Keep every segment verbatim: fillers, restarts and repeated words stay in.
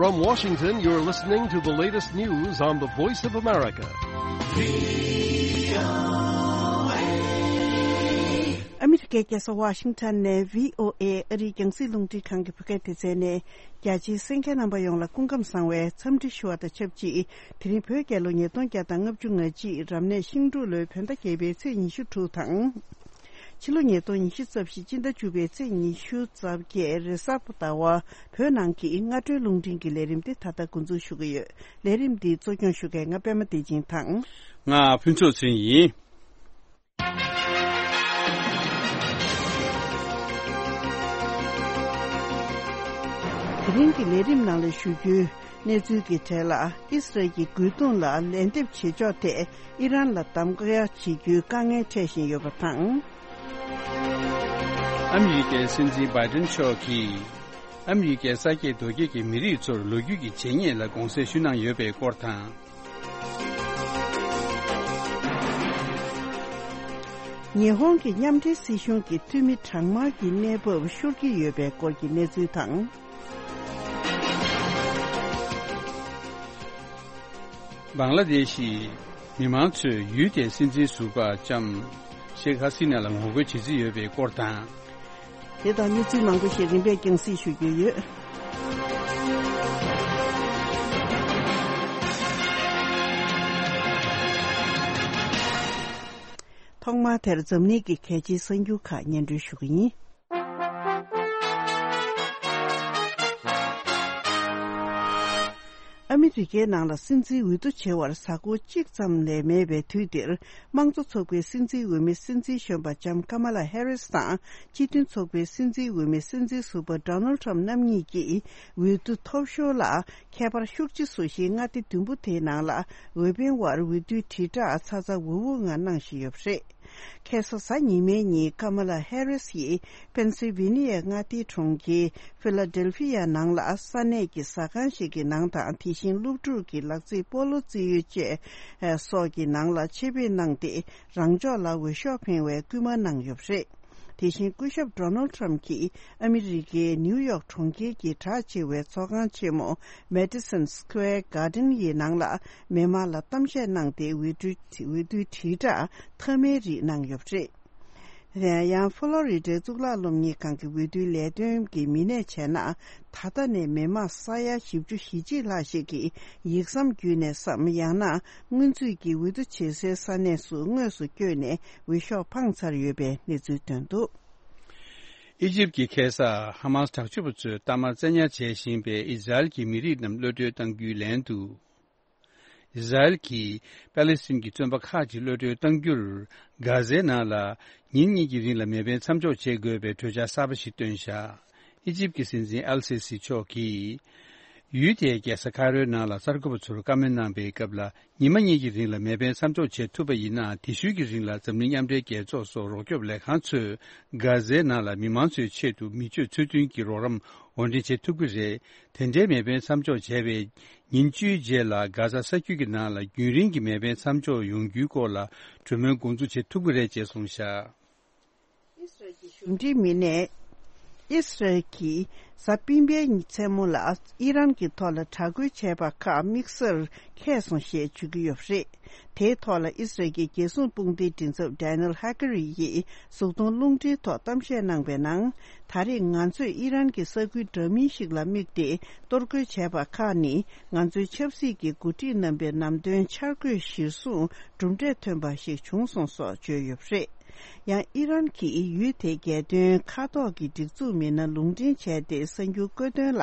From Washington, you're listening to the latest news on the Voice of America. ཨ་མི་རི་ཀའི་རྒྱལ་ས་ཝ་ཤིང་ཊོན་ནས་བྷི་ཨོ་ཨེ་ཨ་རིའི་རྒྱང་སྲིང་རླུང་འཕྲིན་ཁང་གི་བོད་སྐད་སྡེ་ཚན་ནས། རྒྱ་ཆེའི་གསན་མཁན་རྣམ་པ་ཡོངས་ལ་སྐུ་ཁམས་བཟང་བའི་འཚམས་འདྲི་ཞུ་བ་དང་ཆབས་ཅིག་དེ་རིང་བོད་རྒྱལ་ལོ་ཉིས་སྟོང་བརྒྱ་དང་ལྔ་བཅུ་ང་གཅིག་རབ་གནས་ཤིང་འབྲུག་ལོའི་བོད་ཟླ་བརྒྱད་པའི་ཚེས་ཉི་ཤུ་དྲུག་དང་། ཕྱི་ལོ་ཉིས་སྟོང་ཉི་ཤུ་རྩ་བཞི་སྤྱི་ཟླ་བཅུ་པའི་ཚེས་ཉི་ཤུ་རྩ་བརྒྱད་རེས་གཟའ་ཟླ་བ། བོད་ནང་གི་སྔ་དྲོའི་རླུང་འཕྲིན་གྱི་ལས་རིམ་འདི་ད་ལྟ་འགོ་འཛུགས་ཞུ་གི་ཡོད། ལས་རིམ་འདི་གཙོ་སྐྱོང་ཞུ་མཁན་ང་པད་མ་བདེ་ཆེན་དང་། ང་ཕུན་ཚོགས་ཚེ་རིང་ཡིན། དེ་རིང་གི་ལས་རིམ་ནང་ལ་ཞུ་རྒྱུའི་གནས་ཚུལ་གྱི་གྲས་ལ། ཨི་སི་རལ་གྱི་རྒོལ་རྡུང་ལ་ལན་འདེབས་བྱེད་ཕྱོགས་ཐད་ཨི་རན་ལ་གདམ་ག་བྱེད་རྒྱུའི་དཀའ་ངལ་འཕྲད་བཞིན་ཡོད་པ་དང་། ཨ་མི་རི་ཀའི་སྲིད་འཛིན་བྷའི་ཏིན་མཆོག་གིས། ཨ་མི་རི་ཀའི་ས་སྐྱེས་རྡོ་སྐྱེས་ཀྱི་མི་རིགས་ཚོར་ལོ་རྒྱུས་ཀྱི་བྱས་ཉེས་ལ་དགོངས་སེལ་ཞུ་གནང་ཡོད་པའི་སྐོར་དང་། ཉི་ཧོང་གི་མཉམ་འབྲེལ་སྲིད་གཞུང་གི་འཐུས་མི་གྲངས་མང་གི་གནས་བབ་ཤོར་གྱི་ཡོད་པའི་སྐོར་གྱི་གནས་ཚུལ་དང་། བང་ལ་དེ་ཤི་མི་མང་ཚོས་ཡུལ་དེའི་སྲིད་འཛིན་ཟུར་པ་ལྕམ་ཤེག་ཧ་སི་ན་ལ་ངོ་རྒོལ་བྱེད་རྩིས་ཡོད་པའི་སྐོར་དང་། དེ་དང་གནས་ཚུལ་མང་པོ་ཞིག་རིམ་པས་རྒྱང་སྲིང་ཞུ་རྒྱུ་ཡོད། ཐོག་མར་དེར་འཛམ་གླིང་གི་གལ་ཆེའི་གསར་འགྱུར་ཁག་སྙན་སྒྲོན་ཞུ་གི་ཡིན། ཨ་མི་རི་ཀའི་ནང་ལ་སྲིད་འཛིན་འོས་བསྡུ་བྱེད་པར་གཟའ་འཁོར་གཅིག་ཙམ་ལས་མེད་པའི་དུས་འདིར། དམངས་གཙོ་ཚོགས་པའི་སྲིད་འཛིན་འོས་མི་སྲིད་འཛིན་གཞོན་པ་ལྕམ་ཀ་མ་ལ་ཧེ་རིས་དང་། སྤྱི་མཐུན་ཚོགས་པའི་སྲིད་འཛིན་འོས་མི་སྲིད་འཛིན་ཟུར་པ་ཌོ་ནལ་ཁྲམ་རྣམ་གཉིས་ཀྱིས་འོས་བསྡུ་ཐོབ་ཤོར་ལ་ཁྱད་པར་ཤུགས་ཆེ་བཟོ་གཞིའི་མངའ་སྡེ་བདུན་པོ་དེའི་ནང་ལ་འོས་འཕེན་པར་འོས་བསྡུའི་དྲིལ་བསྒྲགས་ཚ་ཚ་འུར་འུར་ངང་གནང་བཞིན་ཡོད་པ་རེད། ཁ་སང་གཟའ་ཉི་མའི་ཉིན་ཀ་མ་ལ་ཧེ་རིས་ཡིས་པེན་སིལ་ཝེ་ནི་ཡའི་མངའ་སྡེའི་གྲོང་ཁྱེར་ཕི་ལ་ཌེལ་ཕི་ཡ་ནང་ལ་ས་གནས་ཀྱི་ཟ་ཁང་ཞིག་གི་ནང་དང་། དེ་བཞིན་སློབ་ཕྲུག་གི་ལག་རྩེད་སྤོ་ལོ་རྩེ་ཡུལ་བཅས་སོགས་ཀྱི་ནང་ལ་ཆེད་ཕེབས་གནང་སྟེ། རང་ཕྱོགས་ལ་འོས་ཤོག་འཕེན་པའི་སྐུལ་མ་གནང་ཡོད་པ་རེད། དེ་བཞིན་སྐུ་ཞབས་ཌོ་ནལ་ཁྲམ་གྱིས་ཨ་མི་རི་ཀའི་ནིའུ་ཡོག་གྲོང་ཁྱེར་གྱི་གྲགས་ཆེ་བའི་ཚོགས་ཁང་ཆེན་མོ་མེ་ཏི་སོན་སི་ཀུ་ཝེར་གྷར་ཌེན་ཡི་ནང་ལ་མི་མང་ལ་གཏམ་བཤད་གནང་སྟེ། འོས་བསྡུའི་འོས་བསྡུའི་དྲིལ་བསྒྲགས་མཐའ་མའི་རིགས་གནང་ཡོད་པ་རེད། དེ་ཡང་ཕོ་ལོ་རི་ཌའི་གཙུག་ལག་སློབ་གཉེར་ཁང་གི་འོས་བསྡུའི་ལས་དོན་གྱི་མི་སྣས་བྱས་ན། ད་ལྟ་ནས་མི་མང་ས་ཡ་བཞི་བཅུ་ཞེ་གཅིག་ལྷག་ཞིག་གིས་ཡིག་ཟམ་བརྒྱུད་ནས་སམ། ཡང་ན་སྔོན་ཚུད་ཀྱི་འོས་བསྡུ་བྱེད་སའི་ས་གནས་སུ་དངོས་སུ་བསྐྱོད་ནས་འོས་ཤོག་འཕངས་ཚར་ཡོད་པའི་གནས་ཚུལ་ཐོན་འདུག། ཨི་ཇིབ་ཀྱི་ཁ་སང་ཧ་མཱ་སི་དྲག་སྤྱོད་པ་ཚོས་གཏའ་མར་བཙན་ཉར་བྱེད་བཞིན་པའི་ཨི་ཟ་རེལ་གྱི་མི་རིགས་རྣམས་གློད་གྲོལ་གཏང་རྒྱུའི་ལན་དུ། ཨི་ཟ་རེལ་གྱིས་པ་ལེ་སི་ཐན་གྱི་བཙོན་པ་ཁག་ཅིག་གློད་གྲོལ་གཏང་རྒྱུར། གྷ་ཟའི་ནང་ལ་ཉིན་གཉིས་ཀྱི་རིང་ལ་མེ་འཕེན་མཚམས་འཇོག་བྱེད་དགོས་པའི་གྲོས་འཆར་གསར་པ་ཞིག་བཏོན་བཞག། ཨི་ཇིབ་ཀྱི་སྲིད་འཛིན་ཨལ་སི་སི་མཆོག་གིས། ཡུལ་དེའི་རྒྱལ་ས་ཁ་རོའི་ནང་ལ་གསར་འགོད་པ་ཚོར་བཀའ་མོལ་གནང་པའི་སྐབས་ལ། ཉི་མ་གཉིས་ཀྱི་རིང་ལ་མེ་འཕེན་མཚམས་འཇོག་བྱེད་ཐུབ་པ་ཡིན་ན། དེ་ཤུལ་གྱི་རིང་ལ་འཛམ་གླིང་མཉམ་འབྲེལ་རྒྱལ་ཚོགས་སོགས་རོགས་སྐྱོབ་ལས་ཁང་ཚོས་གྷ་ཟའི་ནང་ལ་མི་མང་ཚོའི་ཆེད་དུ་མི་སྤྱོད་ཚུལ་མཐུན་གྱི་རོགས་རམ་དབོར་འདྲེན་བྱེད་ཐུབ་ཀྱི་རེད། དེ་འདྲའི་མེ་འཕེན་མཚམས་འཇོག་བྱས་པའི་ཉིན་བཅུའི་རྗེས་ལ། གྷ་ཟ་ས་རྒྱུད་ཀྱི་ནང་ལ་རྒྱུན་རིང་གི་མེ་འཕེན་མཚམས་འཇོག་ཡོང་རྒྱུའི་སྐོར་ལ་གྲོས་མོལ་འགོ་འཛུགས་བྱེད་ཐུབ་ཀྱི་རེད་ཅེས་གསུངས་བཞག། ཨི་སི་རལ་གྱི་གཞུང་འབྲེལ་མི་སྣས། ཨི་སི་རལ་གྱིས་གཟའ་སྤེན་པའི་མཚན་མོ་ལ་ཨི་རན་གྱི་ཐོག་ལ་དྲག་རྒོལ་བྱས་པ་ཁག་དམིགས་བསལ་འཁྱེར་སོང་ཞེས་བརྗོད་ཀྱི་ཡོད་པ་རེད། དེའི་ཐོག་ལ་ཨི་སི་རལ་གྱི་རྒྱལ་སྲུང་དཔུང་སྡེའི་མགྲིན་ཚབ་ཌེ་ནེལ་ཧ་ཀེ་རི་ཡིས་གཟུགས་མཐོང་རླུང་འཕྲིན་ཐོག་གཏམ་བཤད་གནང་པའི་ནང་། ད་རེས་ང་ཚོས་ཨི་རན་གྱི་ས་ཁུལ་འདྲ་མིན་ཞིག་ལ་དམིགས་ཏེ་གཏོར་རྒོལ་བྱས་པ་ཁག་ནི། ང་ཚོའི་ཆབ་སྲིད་ཀྱི་འགོ་ཁྲིད་རྣམ་པའི་ལམ་སྟོན་འཆར་འགོད་གཞིར་བཟུང་གྲུབ་འབྲས་ཐོན་པ་ཞིག་བྱུང་སོང་སོགས་བརྗོད་ཡོད་པ་རེད། ཡང་ཨི་རན་གྱིས་ཡུལ་དེའི་རྒྱལ་དོན་མཁའ་ཐོག་གི་སྒྲིག་འཛུགས་མི་སྣ་ལུང་འདྲེན་བྱས་ཏེ། གསར་འགྱུར་བཀོད་དོན་ལ།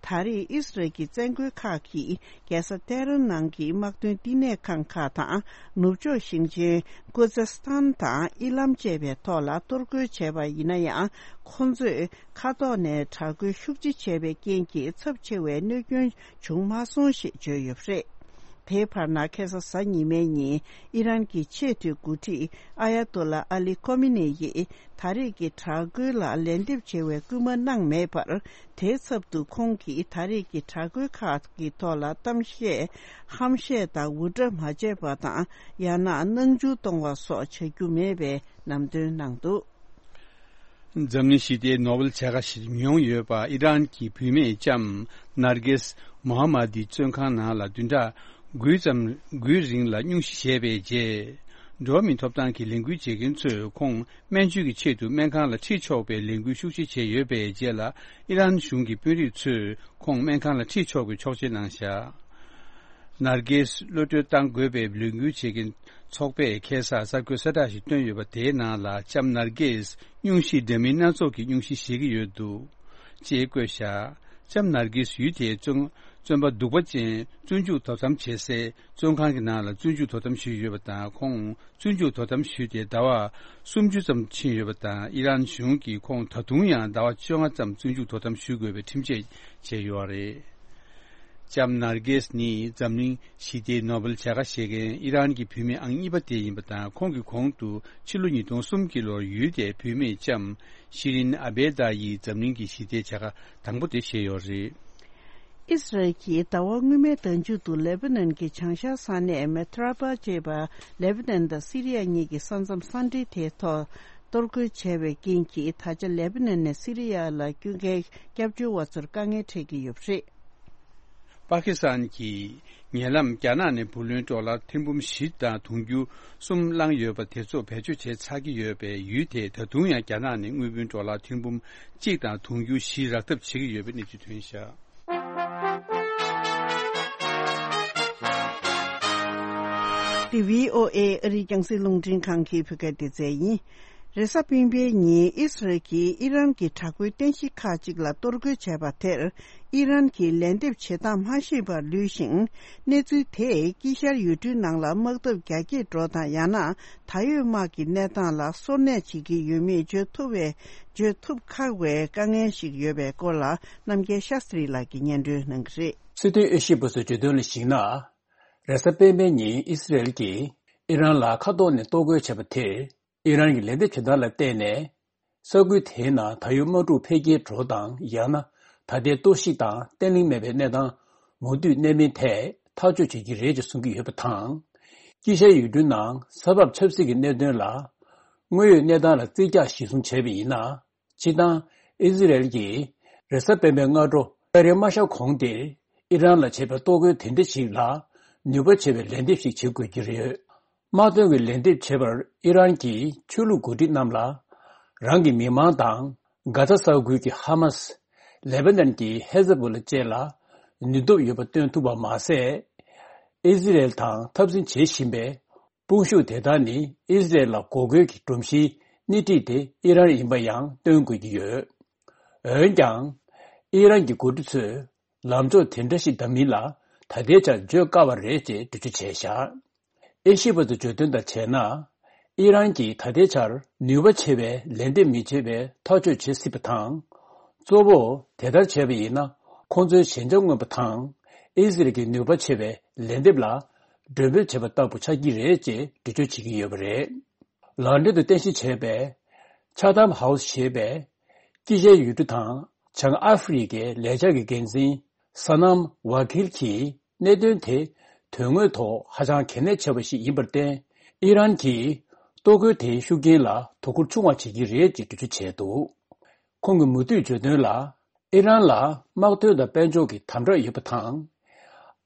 ད་རེས་ཨི་སི་རལ་གྱི་བཙན་རྒོལ་ཁག་གིས་རྒྱལ་ས་ཏེ་རན་ནང་གི་དམག་དོན་བསྟི་གནས་ཁང་ཁག་དང་། ནུབ་ཕྱོགས་ཞིང་ཆེན་ཀུ་ཛི་སི་ཐན་དང་ཨི་ལམ་བཅས་པའི་ཐོག་ལ་གཏོར་རྒོལ་བྱས་པ་ཡིན་ན་ཡང་། ཁོང་ཚོས་མཁའ་ཐོག་ནས་དྲག་རྒོལ་ཤུགས་ཆེ་བྱས་པའི་རྐྱེན་གྱིས་ཚབས་ཆེ་བའི་གནོད་སྐྱོན་བྱུང་མ་སོང་ཞེས་བརྗོད་ཡོད་པ་རེད། དེའི་བར་ན། ཁ་སང་གཟའ་ཉི་མའི་ཉིན་ཨི་རན་གྱི་ཆེས་མཐོའི་འགོ་ཁྲིད་ཨ་ཡ་ཏོ་ལ་ཨ་ལི་ཁོ་མི་ནེ་ཡིས། ད་རེས་ཀྱི་དྲག་རྒོལ་ལ་ལན་འདེབས་བྱེད་པའི་སྐུལ་མ་གནང་མེད་པར། དེའི་ཚབ་ཏུ་ཁོང་གིས་ད་རེས་ཀྱི་དྲག་རྒོལ་ཁག་གི་ཐོག་ལ་གཏམ་བཤད། ཧམ་བཤད་དང་འུར་སྒྲ་མ་བྱས་པ་དང་། ཡང་ན་སྣང་ཆུང་གཏོང་བ་སོགས་བྱ་རྒྱུ་མེད་པའི་ལམ་སྟོན་གནང་འདུག། འཛམ་གླིང་ཞི་བདེའི་ནོ་བེལ་བྱ་དགའ་ཞིག་མྱོང་ཡོད་པ་ཨི་རན་གྱི་བུད་མེད་ལྕམ་ནར་གེས་མོ་ཧ་མ་དིའི་བཙོན་ཁང་ནང་ལ་བདུན་ཕྲག་དགུའི་ཙམ་དགུའི་རིང་ལ་སྙུང་གཞི་བཞེས་པའི་རྗེས། འགྲོ་བ་མིའི་ཐོབ་ཐང་གི་ལས་འགུལ་བྱེད་མཁན་ཚོས་ཁོང་སྨན་བཅོས་ཀྱི་ཆེད་དུ་སྨན་ཁང་ལ་ཁྲིད་ཆོག་པའི་ལས་འགུལ་ཤུགས་ཆེ་བྱས་ཡོད་པའི་རྗེས་ལ། ཨི་རན་གཞུང་གི་དཔོན་རིགས་ཚོས་ཁོང་སྨན་ཁང་ལ་ཁྲིད་ཆོག་པའི་ཆོག་མཆན་གནང་བཞག་ནར་གེས་གློད་གྲོལ་གཏང་དགོས་པའི་ལས་འགུལ་བྱེད་མཁན་ཚོགས་པས་ཁ་སང་གསར་འགོད་གསལ་བསྒྲགས་ཤིག་བཏོན་ཡོད་པ་དེའི་ནང་ལ། ལྕམ་ནར་གེས་སྙུང་གཞི་འདྲ་མིན་སྣ་ཚོགས་ཀྱི་སྙུང་གཞི་བཞེས་ཀྱི་ཡོད་འདུག་ཅེས་བཀོད་བཞག་ལྕམ་ནར་གེས་ཡུལ་དེའི་བཙོན་བཙོན་པ་གདུག་པ་ཅན་བཙོན་འཇུག་དོ་དམ་བྱེད་སའི་བཙོན་ཁང་གི་ནང་ལ་བཙོན་འཇུག་དོ་དམ་ཞུས་ཡོད་པ་དང་། ཁོང་བཙོན་འཇུག་དོ་དམ་ཞུས་ཏེ་ཟླ་བ་སུམ་ཅུ་ཙམ་ཕྱིན་ཡོད་པ་དང་། ཨི་རན་གཞུང་གིས་ཁོང་ད་དུང་ཡང་ཟླ་བ་བཅོ་ལྔ་ཙམ་བཙོན་འཇུག་དོ་དམ་ཞུ་དགོས་པའི་ཁྲིམས་ཆད་བཅད་ཡོད་པ་རེད། ལྕམ་ནར་གེས་ནི་འཛམ་གླིང་ཞི་བདེའི་ནོ་བེལ་བྱ་དགའ་བཞེས་མཁན་ཨི་རན་གྱི་བུད་མེད་ཨང་གཉིས་པ་དེ་ཡིན་པ་དང་། ཁོང་གི་གོང་དུ་ཕྱི་ལོ་ཉིས་སྟོང་གསུམ་གྱི་ལོར་ཡུལ་དེའི་བུད་མེད་ལྕམ་ཤི་རིན་ཨ་བེ་ད་ཡིས་འཛམ་གླིང་གི་ཞི་བདེའི་བྱ་དགའ་དང་པོ་དེ་བཞེས་ཡོད་རེད། ཨིས་རལ་གྱིས་ཟླ་བ་སྔོན་མའི་ཟླ་མཇུག་ཏུ་ལེ་པ་ནན་གྱི་བྱང་ཤར་ས་གནས་མེ་ཐ་ར་པ་ཅེས་པ་ལེ་པ་ནན་དང་སི་རི་ཡ་གཉིས་ཀྱི་ས་མཚམས་ས་འབྲེལ་དེའི་ཐོག་གཏོར་རྒོལ་བྱས་པའི་རྐྱེན་གྱིས། ད་ཆ་ལེ་པ་ནན་ནས་སི་རི་ཡ་ལ་སྐྱོད་མཁན་སྐྱབས་བཅོལ་བ་ཚོར་དཀའ་ངལ་འཕྲད་ཀྱི་ཡོད་པ་རེད། པ་ཀི་སི་ཐན་གྱིས་ཉེ་ལམ་རྒྱ་ནག་ནས་བུ་ལོན་ཌོ་ལར་ཐེར་འབུམ་བཞི་དང་དུང་ཕྱུར་གསུམ་བླངས་ཡོད་པ་དེ་ཚོ་བེད་སྤྱོད་བྱས་ཚར་གྱི་ཡོད་པས། ཡུལ་དེས་ད་དུང་ཡང་རྒྱ་ནག་ནས་དངུལ་བུན་ཌོ་ལར་ཐེར་འབུམ་གཅིག་དང་དུང་ཕྱུར་བཞི་རག་ཐབས་བྱེད་ཀྱི་ཡོད་པའི་གནས་ཚུལ་ཐོན་བཞག་འདི་བྷི་ཨོ་ཨེ་ཨ་རིའི་རྒྱང་སྲིང་རླུང་འཕྲིན་ཁང་གི་བོད་སྐད་སྡེ་ཚན་ཡིན། རེས་གཟའ་སྤེན་པའི་ཉིན་ཨི་སི་རལ་གྱིས་ཨི་རན་གྱི་དྲག་པོའི་རྟེན་གཞི་ཁག་ཅིག་ལ་གཏོར་རྒོལ་བྱས་པ་དེར། ཨི་རན་གྱིས་ལན་འདེབས་བྱེད་སྟངས་མ་ཤེས་པར་ལུས་ཤིང་། གནས་ཚུལ་དེས་དཀྱིལ་ཤར་ཡུལ་གྲུའི་ནང་ལ་དམག་འཐབ་རྒྱ་སྐྱེད་འགྲོ་དང་། ཡང་ན་ད་ཡོད་དམག་གི་གནས་སྟངས་ལ་སོར་གནས་བྱེད་ཀྱི་ཡོད་མེད་བརྗོད་ཐུབ་པའི་བརྗོད་ཐུབ་ཁག་པའི་དཀའ་ངལ་ཞིག་ཡོད་པའི་སྐོར་ལ། རྣམ་རྒྱལ་ཤཱ་སྟྲི་ལགས་ཀྱིས་སྙན་སྒྲོན་གནང་གི་རེད། སྲིད་དོན་དབྱེ་ཞིབ་པ་ཚོས་བརྗོད་དོན་ལ་གཞིགས་ན། རེས་གཟའ་སྤེན་པའི་ཉིན་ཨི་སི་རེལ་གྱིས་ཨི་རན་ལ་མཁའ་ཐོག་ནས་གཏོར་རྒོལ་བྱས་པ་དེར། ཨི་རན་གྱི་ལན་འདེབས་བྱེད་སྟངས་ལ་བལྟས་ནས། ས་ཁུལ་དེའི་ནང་ད་ཡོད་དམག་འཁྲུག་འཕེལ་རྒྱས་འགྲོ་དང་། ཡང་ན་ད་ལྟའི་གཏོར་བཤིག་དང་བརྟན་ལྷིང་མེད་པའི་གནས་སྟངས་མུ་མཐུད་གནས་མིན་ཐད་ཐག་གཅོད་བྱེད་ཀྱི་རེད་ཅེས་གསུང་གི་ཡོད་པ་དང་། དཀྱིལ་ཤར་ཡུལ་གྲུའི་ནང་ས་བབ་ཆབ་སྲིད་ཀྱི་གནད་དོན་ལ། དངོས་ཡོད་གནས་སྟངས་ལ་རྩིས་རྒྱག་གཞིར་བཟུང་བྱས་པ་ཡིན་ན། སྤྱིར་བཏང་ཨི་ཟི་རེལ་གྱིས་རེས་གཟའ་སྤེན་པའི་སྔ་དྲོ་ཏ་རིག་མ་ཤར་གོང་དེར་ཨི་རན་ལ་བྱས་པའི་གཏོར་རྒོལ་དེ་འདྲ་ཞིག་ལ་ནུས་པ་ཆེ་བའི་ལན་འདེབས་ཤིག་བྱེད་དགོས་ཀྱི་རེད། དམག་དོན་གྱི་ལན་འདེབས་བྱེད་པར་ཨི་རན་གྱི་ཆོས་ལུགས་འགོ་ཁྲིད་རྣམས་ལ། རང་གི་མི་མང་དང་། གྷ་ཛ་ས་ཁུལ་གྱི་ཧ་མ་སི། ལེ་བྷ་ནན་གྱི་ཧེ་ཛ་བྷོ་ལ་བཅས་ལ་ནུས་སྟོབས་ཡོད་པ་སྟོན་ཐུབ་པ་མ་ཟད། ཨི་ཟི་རེལ་དང་འཐབ་འཛིང་བྱེད་བཞིན་པའི་དཔུང་ཤུགས་དེ་དག་ནི་ཨི་ཟི་རེལ་ལ་འགོག་རྒོལ་གྱི་སྒྲོམ་གཞིའི་སྣེ་ཁྲིད་དེ་ཨི་རན་ཡིན་པ་ཡང་སྟོན་དགོས་ཀྱི་ཡོད། འོན་ཀྱང་། ཨི་རན་གྱི་འགོ་ཁྲིད་ཚོས་ལམ་ཕྱོགས་དེ་འདྲ་ཞིག་འདྲ་མིན་ལ་ད་ལྟའི་ཆར་བརྗོད་དཀའ་བ་རེད་ཅེས་འགྲེལ་བརྗོད་བྱས་བཞག་ཨེ་ཤི་པ་ཚོས་བརྗོད་དོན་ལྟར་བྱས་ན། ཨི་རན་གྱིས་ད་ལྟའི་ཆར་ནུས་པ་ཆེ་བའི་ལན་འདེབས་མི་བྱེད་པའི་ཐག་གཅོད་བྱེད་སྲིད་པ་དང་། གཙོ་བོ་དེ་ལྟར་བྱས་པ་ཡིན་ན། ཁོང་ཚོའི་ཞན་ཆ་མངོན་པ་དང་། ཨི་ཟི་རལ་གྱི་ནུས་པ་ཆེ་བའི་ལན་འདེབས་ལ་མགྲོན་འབོད་བྱས་པ་ལྟ་བུ་ཆགས་ཀྱི་རེད་ཅེས་འགྲེལ་བརྗོད་བྱེད་ཀྱི་ཡོད་པ་རེད། ལན་ཌན་དུ་རྟེན་གཞི་བྱས་པའི་ཆ་ཐམ་ཧའུ་སི་ཞེས་པའི་དཀྱིལ་ཤར་ཡུལ་གྲུ་དང་བྱང་ཨ་ཧྥེ་རི་ཁའི་ལས་འཆར་གྱི་འགན་འཛིན་ས་ནམ་ཝ་ཁིལ་གྱིས། གནད་དོན་དེ་དོན་དངོས་ཐོག་ཧ་ཅང་གལ་གནད་ཆེ་བ་ཞིག་ཡིན་པར་བརྟེན། ཨི་རན་གྱིས་གཏོར་རྒོལ་དེའི་ཤུགས་རྐྱེན་ལ་དོ་ཁུར་ཆུང་བ་བྱེད་ཀྱི་རེད་ཅེས་འགྲེལ་བརྗོད་བྱས་འདུག་ཁོང་གིས་མུ་མཐུད་བརྗོད་དོན་ལ། ཨི་རན་ལ་དམག་དོན་དང་དཔལ་འབྱོར་གྱི་དམ་དྲག་ཡོད་པ་དང་།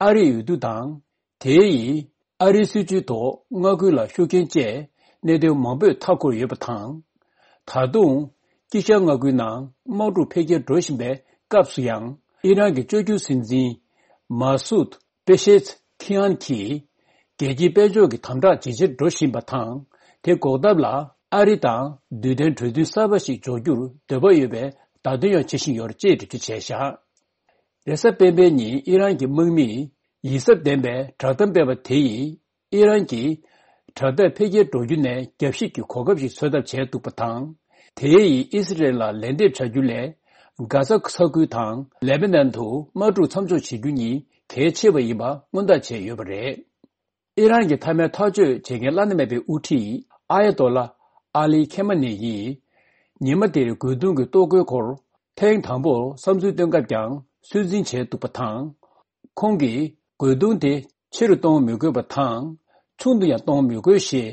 ཨ་རིའི་འོས་བསྡུ་དང་། དེ་ཡིས་ཨ་རིའི་སྲིད་བྱུས་ཐོག་མངའ་ཁུལ་ལ་ཤུགས་རྐྱེན་བཅས་གནད་དོན་མང་པོས་མཐའ་འཁོར་ཡོད་པ་དང་། ད་དུང་དཀྱིལ་ཤར་མངའ་ཁུལ་ནང་དམག་འཁྲུག་འཕེལ་རྒྱས་འགྲོ་བཞིན་པའི་སྐབས་སུ་ཡང་ཨི་རན་གྱི་བཅོས་བསྒྱུར་སྲིད་འཛིན་མ་སུད་པེ་ཤེད་ཁི་ཨན་གྱིས་རྒྱལ་སྤྱིའི་དཔལ་འབྱོར་གྱི་དམ་དྲག་ཇེ་ཆེར་འགྲོ་བཞིན་པ་དང་། དེ་འགོག་ཐབས་ལ་ཨ་རི་དང་རྡུལ་ལྡན་གྲོས་མཐུན་གསར་པ་ཞིག་འཇོག་རྒྱུར་འདོད་པ་ཡོད་པའི་བརྡ་སྟོན་ཡང་བྱེད་བཞིན་ཡོད་ཅེས་འགྲེལ་བརྗོད་བྱས་བཞག་རེས་གཟའ་སྤེན་པའི་ཉིན་ཨི་རན་གྱི་དམག་མིས་ཡིད་གཟབ་ལྡན་པའི་བསྒྲགས་གཏམ་སྤེལ་བ་དེ་ཡིས། ཨི་རན་གྱིས་དྲག་འཐབ་འཕེལ་རྒྱས་འགྲོ་རྒྱུ་ནས་རྒྱབ་བཤིག་གི་གོ་སྐབས་ཤིག་འཚོལ་ཐབས་བྱས་འདུག་པ་དང་། དེ་ཡིས་ཨི་སི་རེལ་ལ་ལན་འདེབས་བྱ་རྒྱུ་ལས། གྷ་ཟ་ས་ཁུལ་དང་ལེ་བྷ་ནན་དུ་དམག་འཁྲུག་མཚམས་འཇོག་བྱེད་རྒྱུ་གཉིས་གལ་ཆེ་བ་ཡིན་པ་སྔོན་བརྡ་བྱས་ཡོད་པ་རེད། ཨི་རན་གྱི་མཐའ་མའི་ཐག་གཅོད་བྱེད་མཁན་བླ་ན་མེད་པའི་དབུ་ཁྲིད་ཨ་ཡ་ཏོ་ལ་ཨ་ལི་ཁེ་མ་ནེ་ཡིས། ཉི་མ་དེར་རྒོལ་རྡུང་གི་གཏོར་རྒོལ་སྐོར་ཐེངས་དང་པོར་བསམ་ཚུལ་བཏོན་སྐབས་ཀྱང་ཚོད་འཛིན་བྱས་འདུག་པ་དང་། ཁོང་གིས་རྒོལ་རྡུང་དེ་ཆེ་རུ་གཏོང་མི་དགོས་པ་དང་། ཆུང་དུ་ཡང་གཏོང་མི་དགོས་ཞེས་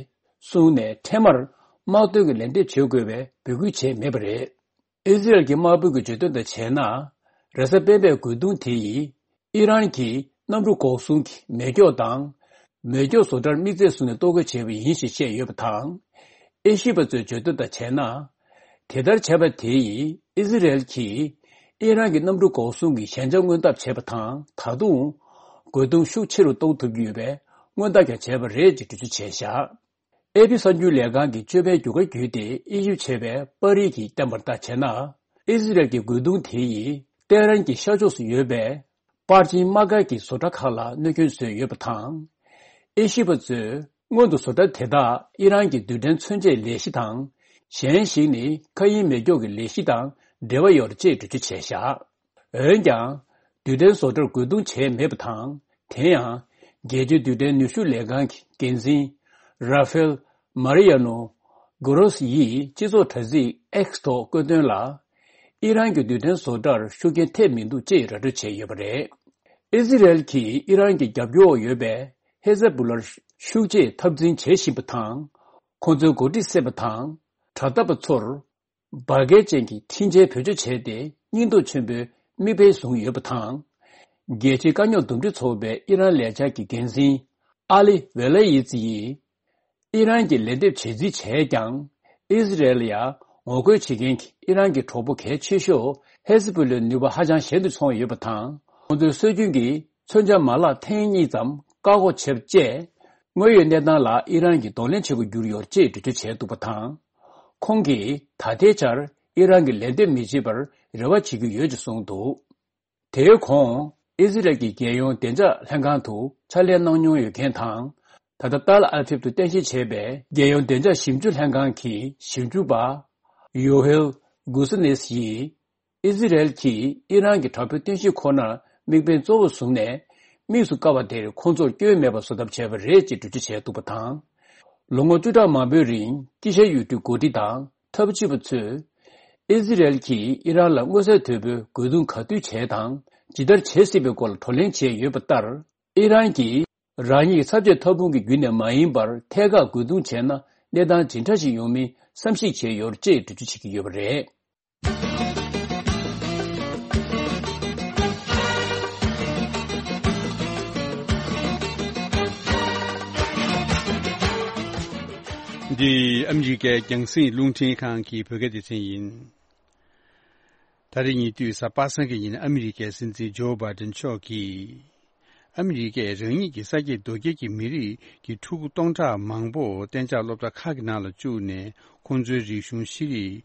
གསུངས་ནས། འཕྲལ་མར་ དམག་དོན་གྱི་ལན་འདེབས་བྱེད་དགོས་པའི་འབོད་སྐུལ་བྱས་མེད་པ་རེད། ཨི་ཟི་རལ་གྱི་དམར་པོ་གི་བརྗོད་དོན་དང་བྱས་ན། རེས་གཟའ་སྤེན་པའི་རྒོལ་རྡུང་དེ་ཡིས་ཨི་རན་གྱི་གནམ་གྲུ་འགོག་སྲུང་གི་མེ་སྒྱོགས་དང་། མེ་སྒྱོགས་བཟོ་གྲྭར་དམིགས་བརྩེ་བཟུང་ནས་གཏོར་རྒོལ་བྱས་པ་ཡིན་ཞེས་བཤད་ཡོད་པ་དང་། དབྱེ་ཞིབ་པ་ཚོས་བརྗོད་དོན་དང་བྱས་ན། དེ་ལྟར་བྱས་པ་དེ་ཡིས་ཨི་ཟི་རལ་གྱིས་ཨི་རན་གྱི་གནམ་གྲུ་འགོག་སྲུང་གི་ཞན་ཆ་མངོན་ཐབས་བྱས་པ་དང་། ད་དུང་རྒོལ་རྡུང་ཤུགས་ཆེ་རུ་གཏོང་ཐུབ་ཀྱི་ཡོད་པའི་མངོན་རྟགས་ཀྱང་བྱས་པ་རེད་ཅེས་འགྲེལ་བརྗོད་བྱས་བཞག་ཨེ་པི་གསར་འགྱུར་ལས་ཁང་གིས་སྤྱོད་པའི་རྒྱུ་སྐར་བརྒྱུད་དེ་དབྱེ་ཞིབ་བྱས་པའི་པར་རིས་ཀྱིས་བསྟན་པར་ལྟ་བྱས་ན། ཨི་ཟི་རལ་གྱི་རྒོལ་རྡུང་དེ་ཡིས་ཏེ་ཧ་རན་གྱི་ཤར་ཕྱོགས་སུ་ཡོད་པའི་པར་ཆེན་དམག་སྒར་གྱི་བཟོ་གྲྭ་ཁག་ལ་གནོད་སྐྱོན་བཟོས་ཡོད་པ་དང་། དབྱེ་ཞིབ་པ་ཚོས་སྔོན་དུ་བཟོ་གྲྭ་དེ་དག་ཨི་རན་གྱི་རྡུལ་ཕྲན་མཚོན་ཆའི་ལས་གཞི་དང་། གཞན་ཞིག་ནི་མཁའ་དབྱིངས་མེ་སྒྱོགས་ཀྱི་ལས་གཞི་དང་འབྲེལ་བ་ཡོད་ཅེས་འགྲེལ་བརྗོད་བྱས་བཞག་འོན་ཀྱང་། རྡུལ་ཕྲན་བཟོ་གྲྭར་རྒོལ་རྡུང་བྱས་མེད་པ་དང་། དེ་ཡང་། རྒྱལ་སྤྱིའི་རྡུལ་ཕྲན་ནུས་ཤུགས་ལས་ཁང་གི་འགན་འཛིན། ར་ཧྥེལ། མ་རི་ཡ་ནོ། གོ་རོ་སི་ཡིས་སྤྱི་ཚོགས་དྲ་ཚིགས་ཨེག་སི་ཐོག་བཀོད་དོན་ལ། ཨི་རན་གྱི་རྡུལ་ཕྲན་བཟོ་གྲྭར་ཤུགས་རྐྱེན་ཐེབས་མི་འདུག་ཅེས་ར་སྤྲོད་བྱས་ཡོད་པ་རེད། ཨི་ཟི་རལ་གྱིས་ཨི་རན་གྱི་རྒྱབ་སྐྱོར་འོག་ཡོད་པའི་ཧེ་ཟ་བུ་ལར་ཤུགས་ཆེའི་འཐབ་འཛིང་བྱེད་བཞིན་པ་དང་། ཁོང་ཚོའི་འགོ་ཁྲིད་བསད་པ་དང་། དྲག་འཐབ་པ་ཚོར། འབར་གས་ཅན་གྱི་འཕྲིན་བཅོལ་བེད་སྤྱོད་བྱས་ཏེ། སྙིང་སྟོབས་ཆེན་པོའི་མིག་དཔེ་བཟུང་ཡོད་པ་དང་། རྒྱལ་སྤྱིའི་དཀའ་རྙོག་འདུམ་འགྲིག་ཚོགས་པའི་ཨི་རན་ལས་འཆར་གྱི་འགན་འཛིན། ཨ་ལི་ཝེ་ལ་ཡི་ཙི་ཡིས། ཨི་རན་གྱིས་ལན་འདེབས་བྱེད་རྩིས་བྱས་ཀྱང་། ཨི་ཟི་རལ་ལ་ཡང་ངོ་རྒོལ་བྱེད་མཁན་གྱི་ཨི་རན་གྱི་གྲོགས་པོ་གལ་ཆེ་ཤོས་ཧེ་ཟི་བུ་ལའི་ནུས་པ་ཧ་ཅང་ཞན་དུ་སོང་ཡོད་པ་དང་། ཁོང་ཚོའི་སྲོལ་རྒྱུན་གྱི་མཚོན་ཆ་མ་ལག་ཐེངས་གཉིས་ཙམ་བཀག་འགོག་བྱས་པ་བཅས། དངོས་ཡོད་གནས་སྟངས་ལ་ཨི་རན་གྱིས་གདོང་ལེན་བྱེད་དགོས་གྱུར་ཡོད་ཅེས་འགྲེལ་བརྗོད་བྱས་འདུག་པ་དང་། ཁོང་གིས་ད་ལྟའི་ཆར་ཨི་རན་གྱིས་ལན་འདེབས་མི་བྱེད་པར་རེ་བ་བྱེད་ཀྱི་ཡོད་ཅེས་གསུངས་འདུག་དེའི་གོང་། ཨི་ཟི་རལ་གྱི་རྒྱལ་ཡོངས་བདེ་འཇགས་ལྷན་ཁང་དུ་ཕྱག་ལས་གནང་མྱོང་ཡོད་མཁན་དང་། ད་ལྟ་ཏཱལ་ཨ་བིབ་ཏུ་རྟེན་གཞི་བྱས་པའི་རྒྱལ་ཡོངས་བདེ་འཇགས་ཞིབ་འཇུག་ལྷན་ཁང་གི་ཞིབ་འཇུག་པ། ཡོ་ཧེལ་གུ་སི་ནེས་ཡིས། ཨི་ཟི་རལ་གྱིས་ཨི་རན་གྱི་དྲག་པོའི་རྟེན་གཞི་ཁོ་ནར་དམིགས་འབེན་གཙོ་བོར་བཟུང་ནས། དམིགས་སུ་བཀར་བ་དེར་ཁོང་ཚོར་སྐྱོན་མེད་པ་བཟོ་ཐབས་བྱས་པ་རེད་ཅེས་འགྲེལ་བརྗོད་བྱས་འདུག་པ་དང་། ལོ་ངོ་བཅུ་ཕྲག་མང་པོའི་རིང་། དཀྱིལ་ཤར་ཡུལ་གྲུའི་འགོ་ཁྲིད་དང་འཐབ་ཇུས་པ་ཚོས། ཨི་ཟི་རལ་གྱིས་ཨི་རན་ལ་མངོན་གསལ་དོད་པོས་རྒོལ་རྡུང་ག་དུས་བྱས་དང་། ཇི་ལྟར་བྱེད་སྲིད་པའི་སྐོར་ལ་བགྲོ་གླེང་བྱས་ཡོད་པ་ལྟར། ཨི་རན་གྱིས་རང་ཉིད་ཀྱི་ཚབ་བྱེད་ཐབས་འཕུང་གི་བརྒྱུད་ནས་མ་ཡིན་པར། ཐད་ཀར་རྒོལ་རྡུང་བྱས་ན། གནས་སྟངས་ཇི་འདྲ་ཞིག་ཡོང་མིན་བསམ་གཞིག་བྱས་ཡོད་ཅེས་འགྲེལ་བརྗོད་བྱེད་ཀྱི་ཡོད་པ་རེད། འདི་ཨ་མི་རི་ཀའི་རྒྱང་སྲིང་རླུང་འཕྲིན་ཁང་གི་བོད་སྐད་སྡེ་ཚན་ཡིན། ད་རེས་ཉེ་དུས་གཟའ་པ་སངས་ཀྱི་ཉིན་ཨ་མི་རི་ཀའི་སྲིད་འཛིན་ཇོ་བྷའི་ཏིན་མཆོག་གིས། ཨ་མི་རི་ཀས་རང་ཉིད་ཀྱི་ས་སྐྱེས་རྡོ་སྐྱེས་ཀྱི་མི་རིགས་ཀྱི་ཕྲུ་གུ་སྟོང་ཕྲག་མང་པོ་གཏན་འཇགས་སློབ་གྲྭ་ཁག་གི་ནང་ལ་བཅུག་ནས། ཁོང་ཚོའི་རིག་གཞུང་ཤེས་རིག་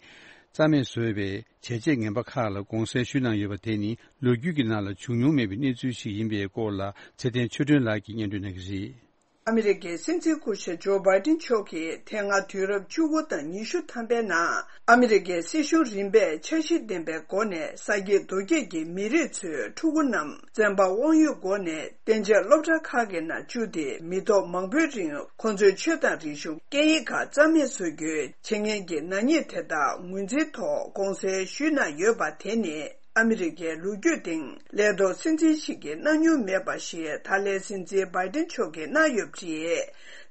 རྩ་མེད་བཟོས་པའི་བྱས་རྗེས་ངན་པ་ཁག་ལ་དགོངས་སེལ་ཞུས་གནང་ཡོད་པ་དེ་ནི། ལོ་རྒྱུས་ཀྱི་ནང་ལ་བྱུང་མྱོང་མེད་པའི་གནས་ཚུལ་ཞིག་ཡིན་པའི་སྐོར་ལ། ཚེ་བརྟན་ཆོས་སྒྲོན་ལགས་ཀྱིས་སྙན་སྒྲོན་གནང་གི་རེད། ཨ་མི་རི་ཀའི་སྲིད་འཛིན་སྐུ་ཞབས་ཇོ་བྷའི་ཏིན་མཆོག་གིས་དེ་སྔ་དུས་རབས་བཅུ་དགུ་དང་ཉི་ཤུ་ཐམ་པའི་ནང་ཨ་མི་རི་ཀའི་སྲིད་གཞུང་རིམ་པས་འཆར་གཞི་ལྡན་པའི་སྒོ་ནས་ས་སྐྱེས་རྡོ་སྐྱེས་ཀྱི་མི་རིགས་ཚོའི་ཕྲུ་གུ་རྣམས་བཙན་པ་དབང་ཡོད་སྒོ་ནས་གཏན་འཇགས་སློབ་གྲྭ་ཁག་གི་ནང་བཅུག་སྟེ། མི་ཐོག་མང་པོའི་རིང་ཁོང་ཚོའི་ཆོས་དང་རིག་གཞུང་སྐད་ཡིག་ཁག་རྩ་མེད་བཟོ་རྒྱུའི་བྱེད་མཁན་གྱི་ནག་ཉེས་དེ་དག་ངོས་འཛིན་ཐོག་དགོངས་སེལ་ཞུས་གནང་ཡོད་པ་དེ་ནི། ཨ་མི་རི་ཀའི་ལོ་རྒྱུས་སྟེང་ལས་ཐོག་སྲིད་འཛིན་ཞིག་གིས་གནང་མྱོང་མེད་པ་ཞིག་ད་ལན་སྲིད་འཛིན་བྷའི་ཏིན་མཆོག་གིས་གནང་ཡོད་པ་རེད།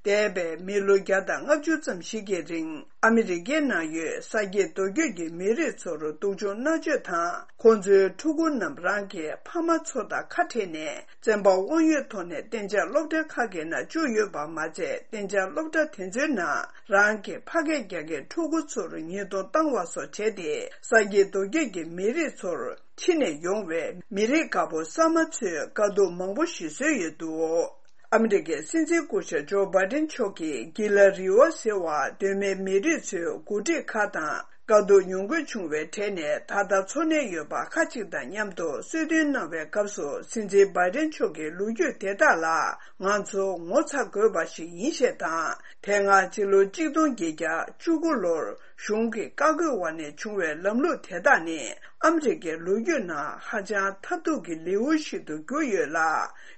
འདས་པའི་མི་ལོ་བརྒྱ་དང་ལྔ་བཅུ་ཙམ་ཞིག་གི་རིང་ཨ་མི་རི་ཀའི་ནང་ཡོད་ས་སྐྱེས་རྡོ་སྐྱེས་ཀྱི་མི་རིགས་ཚོར་སྡུག་སྦྱོང་མནར་གཅོད་དང་། ཁོང་ཚོའི་ཕྲུ་གུ་རྣམས་རང་གི་ཕ་མ་ཚོ་དང་ཁ་བྲལ་ནས། བཙན་པ་དབང་ཡོད་ཐོག་ནས་གཏན་འཇགས་སློབ་གྲྭ་ཁག་གི་ནང་བཅུག་ཡོད་པ་མ་ཚད། གཏན་འཇགས་སློབ་གྲྭ་དེ་ཚོའི་ནང་རང་གི་ཕ་སྐད་རྒྱག་མཁན་ཕྲུ་གུ་ཚོར་ཉེས་རྡུང་བཏང་བ་སོགས་བྱས་ཏེ། ས་སྐྱེས་རྡོ་སྐྱེས་ཀྱི་མི་རིགས་ཚོར་ཕྱི་ནས་ཡོང་བའི་མི་རིགས་དགའ་པོ་གསར་མ་ཚོས་དཀའ་སྡུག་མང་པོ་ཞིག་བཟོས་ཡོད་འདུག་ཨ་མི་རི་ཀའི་སྲིད་འཛིན་སྐུ་ཞབས་ཇོ་བྷའི་ཏིན་མཆོག་གིས་གྷི་ལ་རི་ཝ་ཟེར་བ་གདོད་མའི་མི་རིགས་ཚོའི་འགོ་ཁྲིད་ཁག་དང་དཀའ་སྡུག་མྱོང་དགོས་བྱུང་བའི་གྲས་ནས་ད་ལྟ་འཚོ་གནས་ཡོད་པ་ཁག་ཅིག་དང་མཉམ་དུ་གསོལ་སྟོན་གནང་བའི་སྐབས་སུ། སྲིད་འཛིན་བྷའི་ཏིན་མཆོག་གིས་ལོ་རྒྱུས་དེ་དག་ལ་ང་ཚོ་ངོ་ཚ་དགོས་པ་ཞིག་ཡིན་ཞེས་དང་། དེ་སྔ་སྤྱི་ལོ་གཅིག་སྟོང་བརྒྱད་བརྒྱ་བཅུ་དགུ་ལོར་གཞུང་གི་བཀའ་བཀོད་འོག་ནས་བྱུང་བའི་ལམ་ལུགས་དེ་དག་ནི། ཨ་མི་རི་ཀའི་ལོ་རྒྱུས་ནང་ཧ་ཅང་མཐར་ཐུག་གི་ལེའུ་ཞིག་ཏུ་གྱུར་ཡོད་ལ།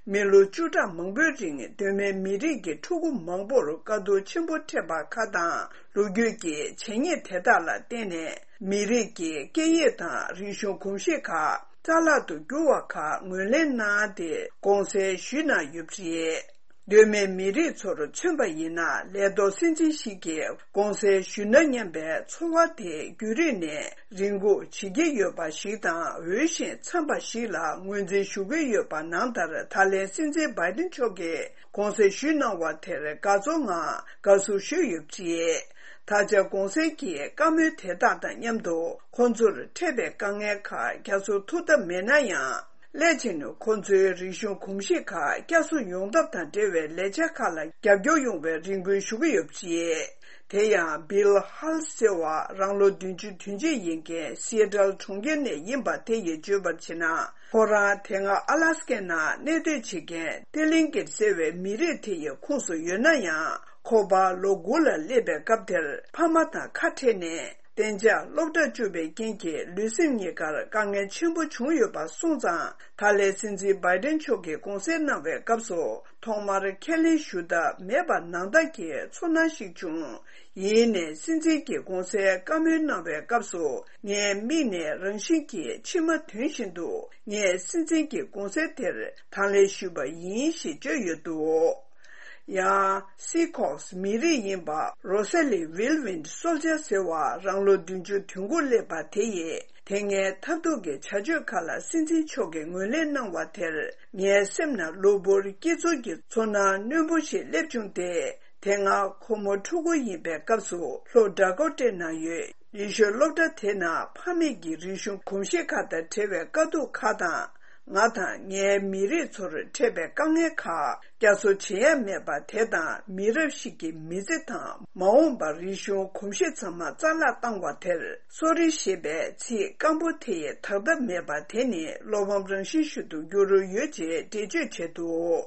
མི་ལོ་བཅུ་ཕྲག་མང་པོའི་རིང་གདོད་མའི་མི་རིགས་ཀྱི་ཕྲུ་གུ་མང་པོར་དཀའ་སྡུག་ཆེན་པོ་འཕྲད་པ་ཁག་དང་། ལོ་རྒྱུས་ཀྱི་བྱས་ཉེས་དེ་དག་ལ་བརྟེན་ནས། མི་རིགས་ཀྱི་སྐད་ཡིག་དང་རིག་གཞུང་གོམས་གཤིས་ཁག་རྩ་བརླག་ཏུ་གྱུར་བ་ཁག་ངོས་ལེན་གནང་སྟེ་དགོངས་སེལ་ཞུས་གནང་ཡོད་པ་རེད། སྟོད་སྨད་མི་རིགས་ཚོར་མཚོན་པ་ཡིན་ན། ལས་ཐོག་སྲིད་འཛིན་ཞིག་གིས་གུང་སེང་ཞུས་ན་སྙམ་པའི་ཚོར་བ་དེ་རྒྱུན་རིང་ནས་རེ་སྒུག་བྱེད་ཀྱི་ཡོད་པ་ཞིག་དང་། འོས་ཤིང་འཚམས་པ་ཞིག་ལ་ངོས་འཛིན་ཞུ་གི་ཡོད་པ་ནང་ལྟར། ད་ལན་སྲིད་འཛིན་བྷའི་ཏིན་མཆོག་གིས་གུང་སེང་ཞུས་གནང་བ་དེར་དགའ་ཚོར་ངང་དགའ་བསུ་ཞུས་ཡོད་པ་རེད། ད་ཆ་གུང་སེང་གི་བཀའ་མོལ་དེ་དག་དང་མཉམ་དུ། ཁོང་ཚོར་འཕྲད་པའི་དཀའ་ངལ་ཁག་བསྐྱར་གསོ་ཐུབ་ཐབས་མེད་ན་ཡང་། སླད་ཕྱིན་ཁོང་ཚོའི་རིག་གཞུང་གོམས་གཤིས་ཁག་བསྐྱར་གསོ་ཡོང་ཐབས་དང་འབྲེལ་བའི་ལས་འཆར་ཁག་ལ་རྒྱབ་སྐྱོར་ཡོང་བའི་རེ་སྐུལ་ཞུ་གི་ཡོད་པ་རེད། དེ་ཡང་Bill Hall་ཟེར་བ་རང་ལོ་བདུན་ཅུ་དོན་གཅིག་ཡིན་མཁན་སི་ཨེ་ཊལ་གྲོང་ཁྱེར་ནས་ཡིན་པ་དེ་ཡིས་བརྗོད་པར་བྱས་ན། ཁོ་རང་དེ་སྔ་ཨ་ལ་སི་ཀའི་ནང་གནས་སྡོད་བྱེད་མཁན་ཏེ་ལིང་ཀེཊ་ཟེར་བའི་མི་རིགས་དེ་ཡི་ཁོངས་སུ་ཡོད་ན་ཡང་། ཁོ་པ་ལོ་དགུ་ལ་སླེབས་པའི་སྐབས་དེར་ཕ་མ་དང་ཁ་བྲལ་ནས། གཏན་འཇགས་སློབ་གྲྭར་བཅུག་པའི་རྐྱེན་གྱིས་ལུས་སེམས་གཉིས་ཀར་དཀའ་ངལ་ཆེན་པོ་བྱུང་ཡོད་པ་སོང་ཙང་། ད་ལན་སྲིད་འཛིན་བྷའི་ཏིན་མཆོག་གིས་གུང་སེང་གནང་བའི་སྐབས་སུ། ཐོག་མར་ཁས་ལེན་ཞུ་ཐབས་མེད་པ་ནང་ལྟར་གྱི་ཚོར་སྣང་ཞིག་བྱུང་། ཡིན་ནའི་སྲིད་འཛིན་གྱིས་གུང་སེང་བཀའ་མོལ་གནང་བའི་སྐབས་སུ། ངའི་མིག་ནས་རང་བཞིན་གྱིས་མཆི་མ་ཐོན་བཞིན་འདུག་ངས་སྲིད་འཛིན་གྱི་གུང་སེང་དེར་དང་ལེན་ཞུས་པ་ཡིན་ཞེས་བརྗོད་ཡོད་འདུག་ཡང་། སི་ཁོག་སི་མི་རིགས་ཡིན་པ་རོ་ས་ལི་ཝིལ་ཝིན་སོལ་ཇར་ཟེར་བ་རང་ལོ་བདུན་ཅུ་དོན་དགུ་སླེབས་པ་དེ་ཡིས། དེ་སྔའི་ཐབས་སྡུག་གི་བྱ་སྤྱོད་ཁག་ལ་སྲིད་འཛིན་མཆོག་གིས་ངོས་ལེན་གནང་བ་དེར། ངའི་སེམས་ནང་གློ་བུར་སྐྱིད་ཚོར་གྱི་ཚོར་སྣང་རྣོན་པོ་ཞིག་སླེབས་བྱུང་སྟེ། དེ་སྔ་ཁོ་མོ་ཕྲུ་གུ་ཡིན་པའི་སྐབས་སུ། ལྷོ་ཌ་ཀོ་ཊའི་ནང་ཡོད་ཡེ་ཤོད་སློབ་གྲྭ་དེ་ནང་ཕ་མེས་ཀྱི་རིག་གཞུང་གོམས་གཤིས་ཁག་དང་འབྲེལ་བའི་དཀའ་སྡུག་ཁག་དང་། ང་དང་ངའི་མི་རིགས་ཚོར་འཕྲད་པའི་དཀའ་ངལ་ཁག་བསྐྱར་གསོ་བྱེད་ཡ་མེད་པ་དེ་དང་། མི་རབས་ཤིག་གི་མི་ཚེ་དང་མ་འོངས་པར་རིག་གཞུང་གོམས་གཤིས་ཚང་མ་རྩ་བརླག་བཏང་བ་དེར། སོ་རི་ཞེས་པའི་ཚིག་སྐམ་པོ་དེ་ཡི་དག་ཐབས་མེད་པ་དེ་ནི་བློ་ཕམ་རང་བཞིན་ཞིག་ཏུ་འགྱུར་རོལ་ཡོད་ཅེས་འགྲེལ་བརྗོད་བྱས་འདུག་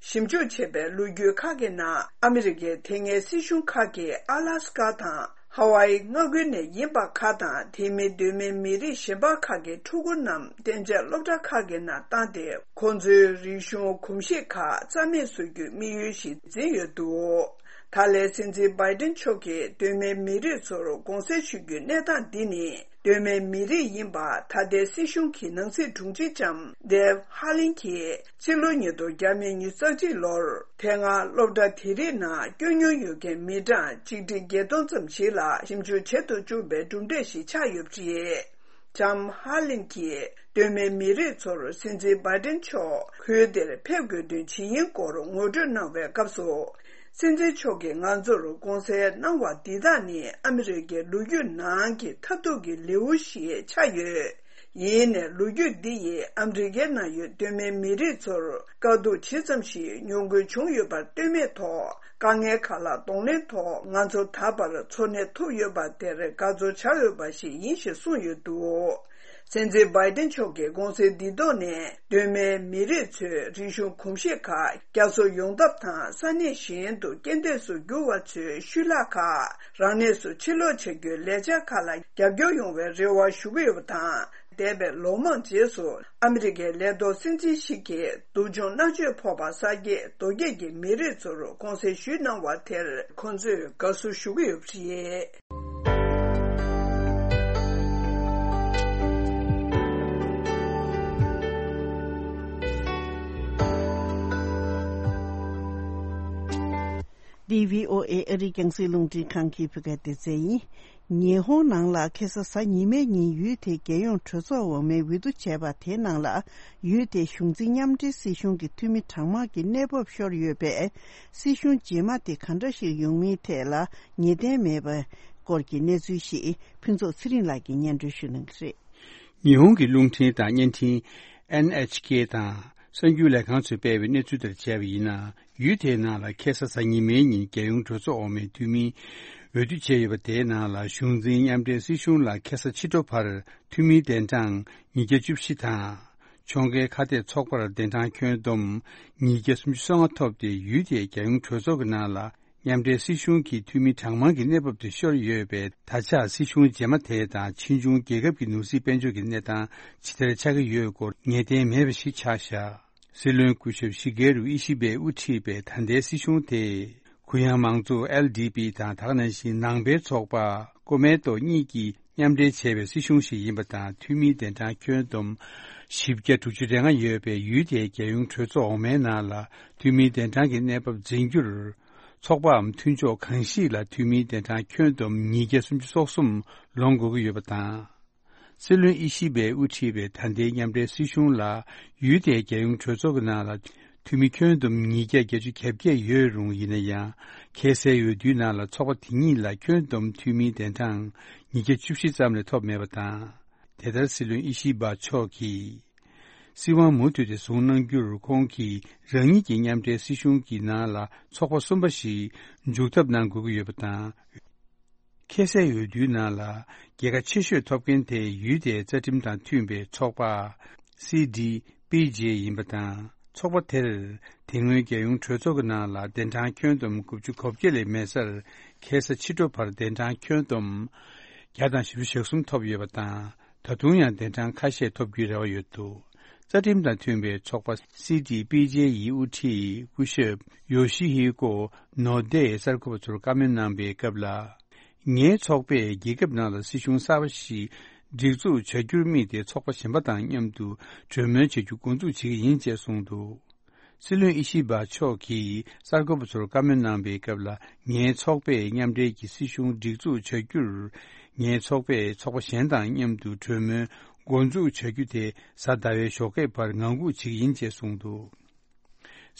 ཞིབ་འཇུག་བྱས་པའི་ལོ་རྒྱུས་ཁག་གི་ནང་། ཨ་མི་རི་ཀའི་དེ་སྔའི་སྲིད་གཞུང་ཁག་གིས་ཨ་ལ་སི་ཀ་དང་ཧ་ཝའི་མངའ་ཁུལ་ནས་ཡིན་པ་ཁག་དང་། དེ་མིན་སྟོད་སྨད་མི་རིགས་གཞན་པ་ཁག་གི་ཕྲུ་གུ་རྣམས་གཏན་འཇགས་སློབ་གྲྭ་ཁག་གི་ནང་བཏང་སྟེ། ཁོང་ཚོའི་རིག་གཞུང་གོམས་གཤིས་ཁག་རྩ་མེད་བཟོ་རྒྱུའི་དམིགས་ཡུལ་ཞིག་འཛིན་ཡོད་འདུག་ད་ལན་སྲིད་འཛིན་བྷའི་ཏིན་མཆོག་གིས་སྟོད་སྨད་མི་རིགས་ཚོར་དགོངས་སེལ་ཞུ་རྒྱུའི་གནས་སྟངས་འདི་ནི། སྟོད་སྨད་མི་རིགས་ཡིན་པ་ད་ལྟའི་སྲིད་གཞུང་གི་ནང་སྲིད་དྲུང་ཆེ་ལྕམ་ཌེབ་ཧ་ལིན་གྱིས་ཕྱི་ལོ་ཉིས་སྟོང་ཉི་ཤུ་རྩ་གཅིག་ལོར། དེ་སྔ་སློབ་གྲྭ་དེ་རིགས་ནང་བསྐྱོད་མྱོང་ཡོད་མཁན་མི་གྲངས་ཆིག་ཁྲི་བརྒྱད་སྟོང་ཙམ་ཞིག་ལ་ཞིབ་འཇུག་བྱེད་དུ་བཅུག་པའི་གྲུབ་འབྲས་ཤིག་ཆགས་ཡོད་པ་རེད། ལྕམ་ཧ་ལིན་གྱིས་སྟོད་སྨད་མི་རིགས་ཚོར་སྲིད་འཛིན་བྷའི་ཏིན་མཆོག་ཁུལ་དེར་ཕེབས་དགོས་དོན་ཇི་ཡིན་སྐོར་ངོ་སྤྲོད་གནང་བའི་སྐབས་སུ། སྲིད་འཛིན་མཆོག་གིས་ང་ཚོར་དགོངས་སེལ་གནང་བ་འདི་དག་ནི་ཨ་མི་རི་ཀའི་ལོ་རྒྱུས་ནང་གི་མཐར་ཐུག་གི་ལེའུ་ཞིག་ཆགས་ཡོད། ཡིན་ནའི་ལོ་རྒྱུས་འདི་ཡིས་ཨ་མི་རི་ཀའི་ནང་ཡོད་སྟོད་སྨད་མི་རིགས་ཚོར་དཀའ་སྡུག་ཇི་ཙམ་ཞིག་མྱོང་དགོས་བྱུང་ཡོད་པར་ལྟོས་མེད་ཐོག་དཀའ་ངལ་ཁག་ལ་གདོང་ལེན་ཐོག་ང་ཚོ་ད་བར་འཚོ་གནས་ཐུབ་ཡོད་པ་དེར་དགའ་ཚོར་བྱ་འོས་པ་ཞིག་ཡིན་ཞེས་གསུངས་ཡོད་འདུག་སྲིད་འཛིན་བྷའི་ཏིན་མཆོག་གི་དགོངས་སེལ་འདིའི་ཐོག་ནས། སྟོད་སྨད་མི་རིགས་ཚོའི་རིག་གཞུང་གོམས་གཤིས་ཁག་བསྐྱར་གསོ་ཡོང་ཐབས་དང་། ས་གནས་གཞན་དུ་རྐྱེན་འདས་སུ་གྱུར་བ་ཚོའི་ཤུལ་ལྷག་ཁག་རང་གནས་སུ་ཕྱིར་ལོག་བྱ་རྒྱུའི་ལས་འཆར་ཁག་ལ་རྒྱབ་སྐྱོར་ཡོང་བའི་རེ་བ་ཞུ་གི་ཡོད་པ་དང་། འདས་པའི་ལོ་མང་རྗེས་སུ་ཨ་མི་རི་ཀའི་ལས་ཐོག་སྲིད་འཛིན་ཞིག་གིས་སྡུག་སྦྱོང་མནར་གཅོད་ཕོག་པ་གསར་སྐྱེས་མདོ་སྐྱེས་ཀྱི་མི་རིགས་ཚོར་དགོངས་སེལ་ཞུས་གནང་བ་དེར་ཁོང་ཚོས་དགའ་བསུ་ཞུ་གི་ཡོད་པ་རེད། འདི་བྷི་ཨོ་ཨེ་ཨ་རིའི་རྒྱང་སྲིང་རླུང་འཕྲིན་ཁང་གི་བོད་སྐད་སྡེ་ཚན་ཡིན། ཉི་ཧོང་ནང་ལ་ཁ་སང་གཟའ་ཉི་མའི་ཉིན་ཡུལ་དེའི་རྒྱལ་ཡོངས་གྲོས་ཚོགས་འོག་མའི་འོས་བསྡུ་བྱས་པ་དེའི་ནང་ལ། ཡུལ་དེའི་གཞུང་འཛིན་མཉམ་འབྲེལ་སྲིད་གཞུང་གི་འཐུས་མི་གྲངས་མང་གི་གནས་བབ་ཤོར་ཡོད་པས། སྲིད་གཞུང་རྗེས་མ་དེ་ག་འདྲ་ཞིག་ཡོང་མིན་ཐད་ལ་ངེས་གཏན་མེད་པའི་སྐོར་གྱི་གནས་ཚུལ་ཞིག་ཕུན་ཚོགས་ཚེ་རིང་ལགས་ཀྱིས་སྙན་སྒྲོན་ཞུ་གནང་གི་རེད། ཉི་ཧོང་གི་རླུང་འཕྲིན་དང་བརྙན་འཕྲིན་ཨེན་ཨེཆ་ཀེ་དང་གསར་འགྱུར་ལས་ཁང་ཚོས་སྤེལ་བའི་གནས་ཚུལ་ལྟར་བྱས་པ་ཡིན་ན། ཡུལ་དེའི་ནང་ལ་ཁ་སང་གཟའ་ཉི་མའི་ཉིན་རྒྱལ་ཡོངས་གྲོས་ཚོགས་འོག་མའི་འཐུས་མིའི་འོས་བསྡུ་བྱས་ཡོད་པ། དེའི་ནང་ལ་གཞུང་འཛིན་མཉམ་འབྲེལ་སྲིད་གཞུང་ལ་ཁ་སང་ཕྱི་དྲོ་བར་འཐུས་མིའི་གདན་གྲངས་ཉིས་བརྒྱ་བཅུ་བཞི་དང་། ཕྱོགས་འགལ་ཁ་གཏད་ཚོགས་པར་གདན་གྲངས་ཁྱོན་བསྡོམས་ཉིས་བརྒྱ་སུམ་ཅུ་སོ་ལྔ་ཐོབ་སྟེ། ཡུལ་དེའི་རྒྱལ་ཡོངས་གྲོས་ཚོགས་ཀྱི་ནང་ལ་མཉམ་འབྲེལ་སྲིད་གཞུང་གི་འཐུས་མི་གྲངས་མང་གི་གནས་བབ་དེ་ཤོར་ཡོད་པས། ད་ཆ་སྲིད་གཞུང་རྗེས་མ་དེ་དང་ཕྱིས་འབྱུང་རྒྱལ་ཁབ་ཀྱི་ནོར་སྲིད་དཔལ་འབྱོར་གྱི་གནས་སྟངས་ཇི་ལྟར་ཆགས་ཀྱི་ཡོད་སྐོར་ངེས་གཏན་མེད་པ་ཞིག་ཆགས་བཞག་སྲིད་བློན་སྐུ་ཞབས་ཤི་གེ་རུ་ཨི་ཤི་བས་དབུ་ཁྲིད་པའི་ད་ལྟའི་སྲིད་གཞུང་དེས་གུ་ཡངས་མང་གཙོ་ཨེལ་ཌི་པི་དང་། ད་ག་ནང་བཞིན་ནང་པའི་ཚོགས་པ་ཀོ་མེ་ཏོ་གཉིས་ཀྱིས་མཉམ་འབྲེལ་བྱས་པའི་སྲིད་གཞུང་ཞིག་ཡིན་པ་དང་། འཐུས་མིའི་གདན་གྲངས་ཁྱོན་བསྡོམས་ བཞི་བརྒྱ་དྲུག་ཅུ་རེ་ལྔ་ཡོད་པའི་ཡུལ་དེའི་རྒྱལ་ཡོངས་གྲོས་ཚོགས་འོག་མའི་ནང་ལ་འཐུས་མིའི་གདན་གྲངས་ཀྱི་གནས་བབ་འཛིན་རྒྱུར། ཚོགས་པའམ་མཐུན་ཕྱོགས་གང་ཞིག་ལ་འཐུས་མིའི་གདན་གྲངས་ཁྱོན་བསྡོམས་ཉིས་བརྒྱ་སུམ་ཅུ་སོ་གསུམ་ལོངས་དགོས་ཀྱི་ཡོད་པ་དང་། སྲིད་བློན་ཨི་ཤི་བས་དབུ་ཁྲིད་པའི་ད་ལྟའི་མཉམ་འབྲེལ་སྲིད་གཞུང་ལ་ཡུལ་དེའི་རྒྱལ་ཡོངས་གྲོས་ཚོགས་ཀྱི་ནང་ལ་འཐུས་མི་ཁྱོན་བསྡོམས་ཉིས་བརྒྱ་བརྒྱད་ཅུ་གྱ་བརྒྱད་ཡོད་རུང་ཡིན་ན་ཡང་། ཁ་སའི་འོས་བསྡུའི་ནང་ལ་ཚོགས་པ་དེ་གཉིས་ལ་ཁྱོན་བསྡོམས་འཐུས་མིའི་གདན་གྲངས་ཉིས་བརྒྱ་བཅུ་བཞི་ཙམ་ལས་ཐོབ་མེད་པ་དང་། དེ་ལྟར་སྲིད་བློན་ཨི་ཤི་བ་མཆོག་གིས། སྲིད་དབང་མུ་མཐུད་དེ་བཟུང་གནང་རྒྱུར་ཁོང་གིས་རང་ཉིད་ཀྱི་མཉམ་འབྲེལ་སྲིད་གཞུང་གི་ནང་ལ་ཚོགས་པ་གསུམ་པ་ཞིག་འཇུག་ཐབས་གནང་དགོས་ཀྱི་ཡོད་པ་དང་། ཁ་སའི་འོས་བསྡུའི་ནང་ལ་རྒྱལ་ཁ་ཆེ་ཤོས་ཐོབ་མཁན་དེ་ཡུལ་དེའི་རྩ་ཁྲིམས་དང་མཐུན་པའི་ཚོགས་པ། སི་ཌི་པི་ཇེ་ཡིན་པ་དང་། ཚོགས་པ་དེར་དེ་སྔོན་རྒྱལ་ཡོངས་གྲོས་ཚོགས་ཀྱི་ནང་ལ་གདན་གྲངས་ཁྱོན་བསྡོམས་དགུ་བཅུ་གོ་བརྒྱད་ལས་མེད་སར། ཁ་ས་ཕྱི་དྲོ་བར་གདན་གྲངས་ཁྱོན་བསྡོམས་བརྒྱ་དང་བཞི་བཅུ་ཞེ་གསུམ་ཐོབ་ཡོད་པ་དང་། ད་དུང་ཡང་གདན་གྲངས་ཁ་ཤས་ཐོབ་རྒྱུའི་རེ་བ་ཡོད་འདུག་རྩ་ཁྲིམས་དང་མཐུན་པའི་ཚོགས་པ་སི་ཌི་པི་ཇེ་ཡི་དབུ་ཁྲིད་སྐུ་ཞབས་ཡོ་ཤི་ཧི་ཀོ་ནོ་ཏེས་གསར་འགོད་པ་ཚོར་བཀའ་མོལ་གནང་པའི་སྐབས་ལ། ངའི་ཚོགས་པས་རྒྱལ་ཁབ་ནང་ལ་སྲིད་གཞུང་གསར་པ་ཞིག་སྒྲིག་འཛུགས་བྱ་རྒྱུར་དམིགས་ཏེ་ཚོགས་པ་གཞན་པ་དང་མཉམ་དུ་གྲོས་མོལ་བྱ་རྒྱུ་འགོ་འཛུགས་བྱེད་ཀྱི་ཡིན་ཅེས་གསུངས་འདུག་སྲིད་བློན་ཨི་ཤི་བ་མཆོག་གིས་གསར་འགོད་པ་ཚོར་བཀའ་མོལ་གནང་པའི་སྐབས་ལ། ངའི་ཚོགས་པས་མཉམ་འབྲེལ་གྱི་སྲིད་གཞུང་སྒྲིག་འཛུགས་བྱ་རྒྱུར། ངའི་ཚོགས་པས་ཚོགས་པ་གཞན་དང་མཉམ་དུ་གྲོས་མོལ་འགོ་འཛུགས་བྱ་རྒྱུ་དེ་གཟའ་ཟླ་བའི་ཞོགས་ཀས་བར་ངང་སྒུག་བྱེད་ཀྱི་ཡིན་ཅེས་གསུངས་འདུག་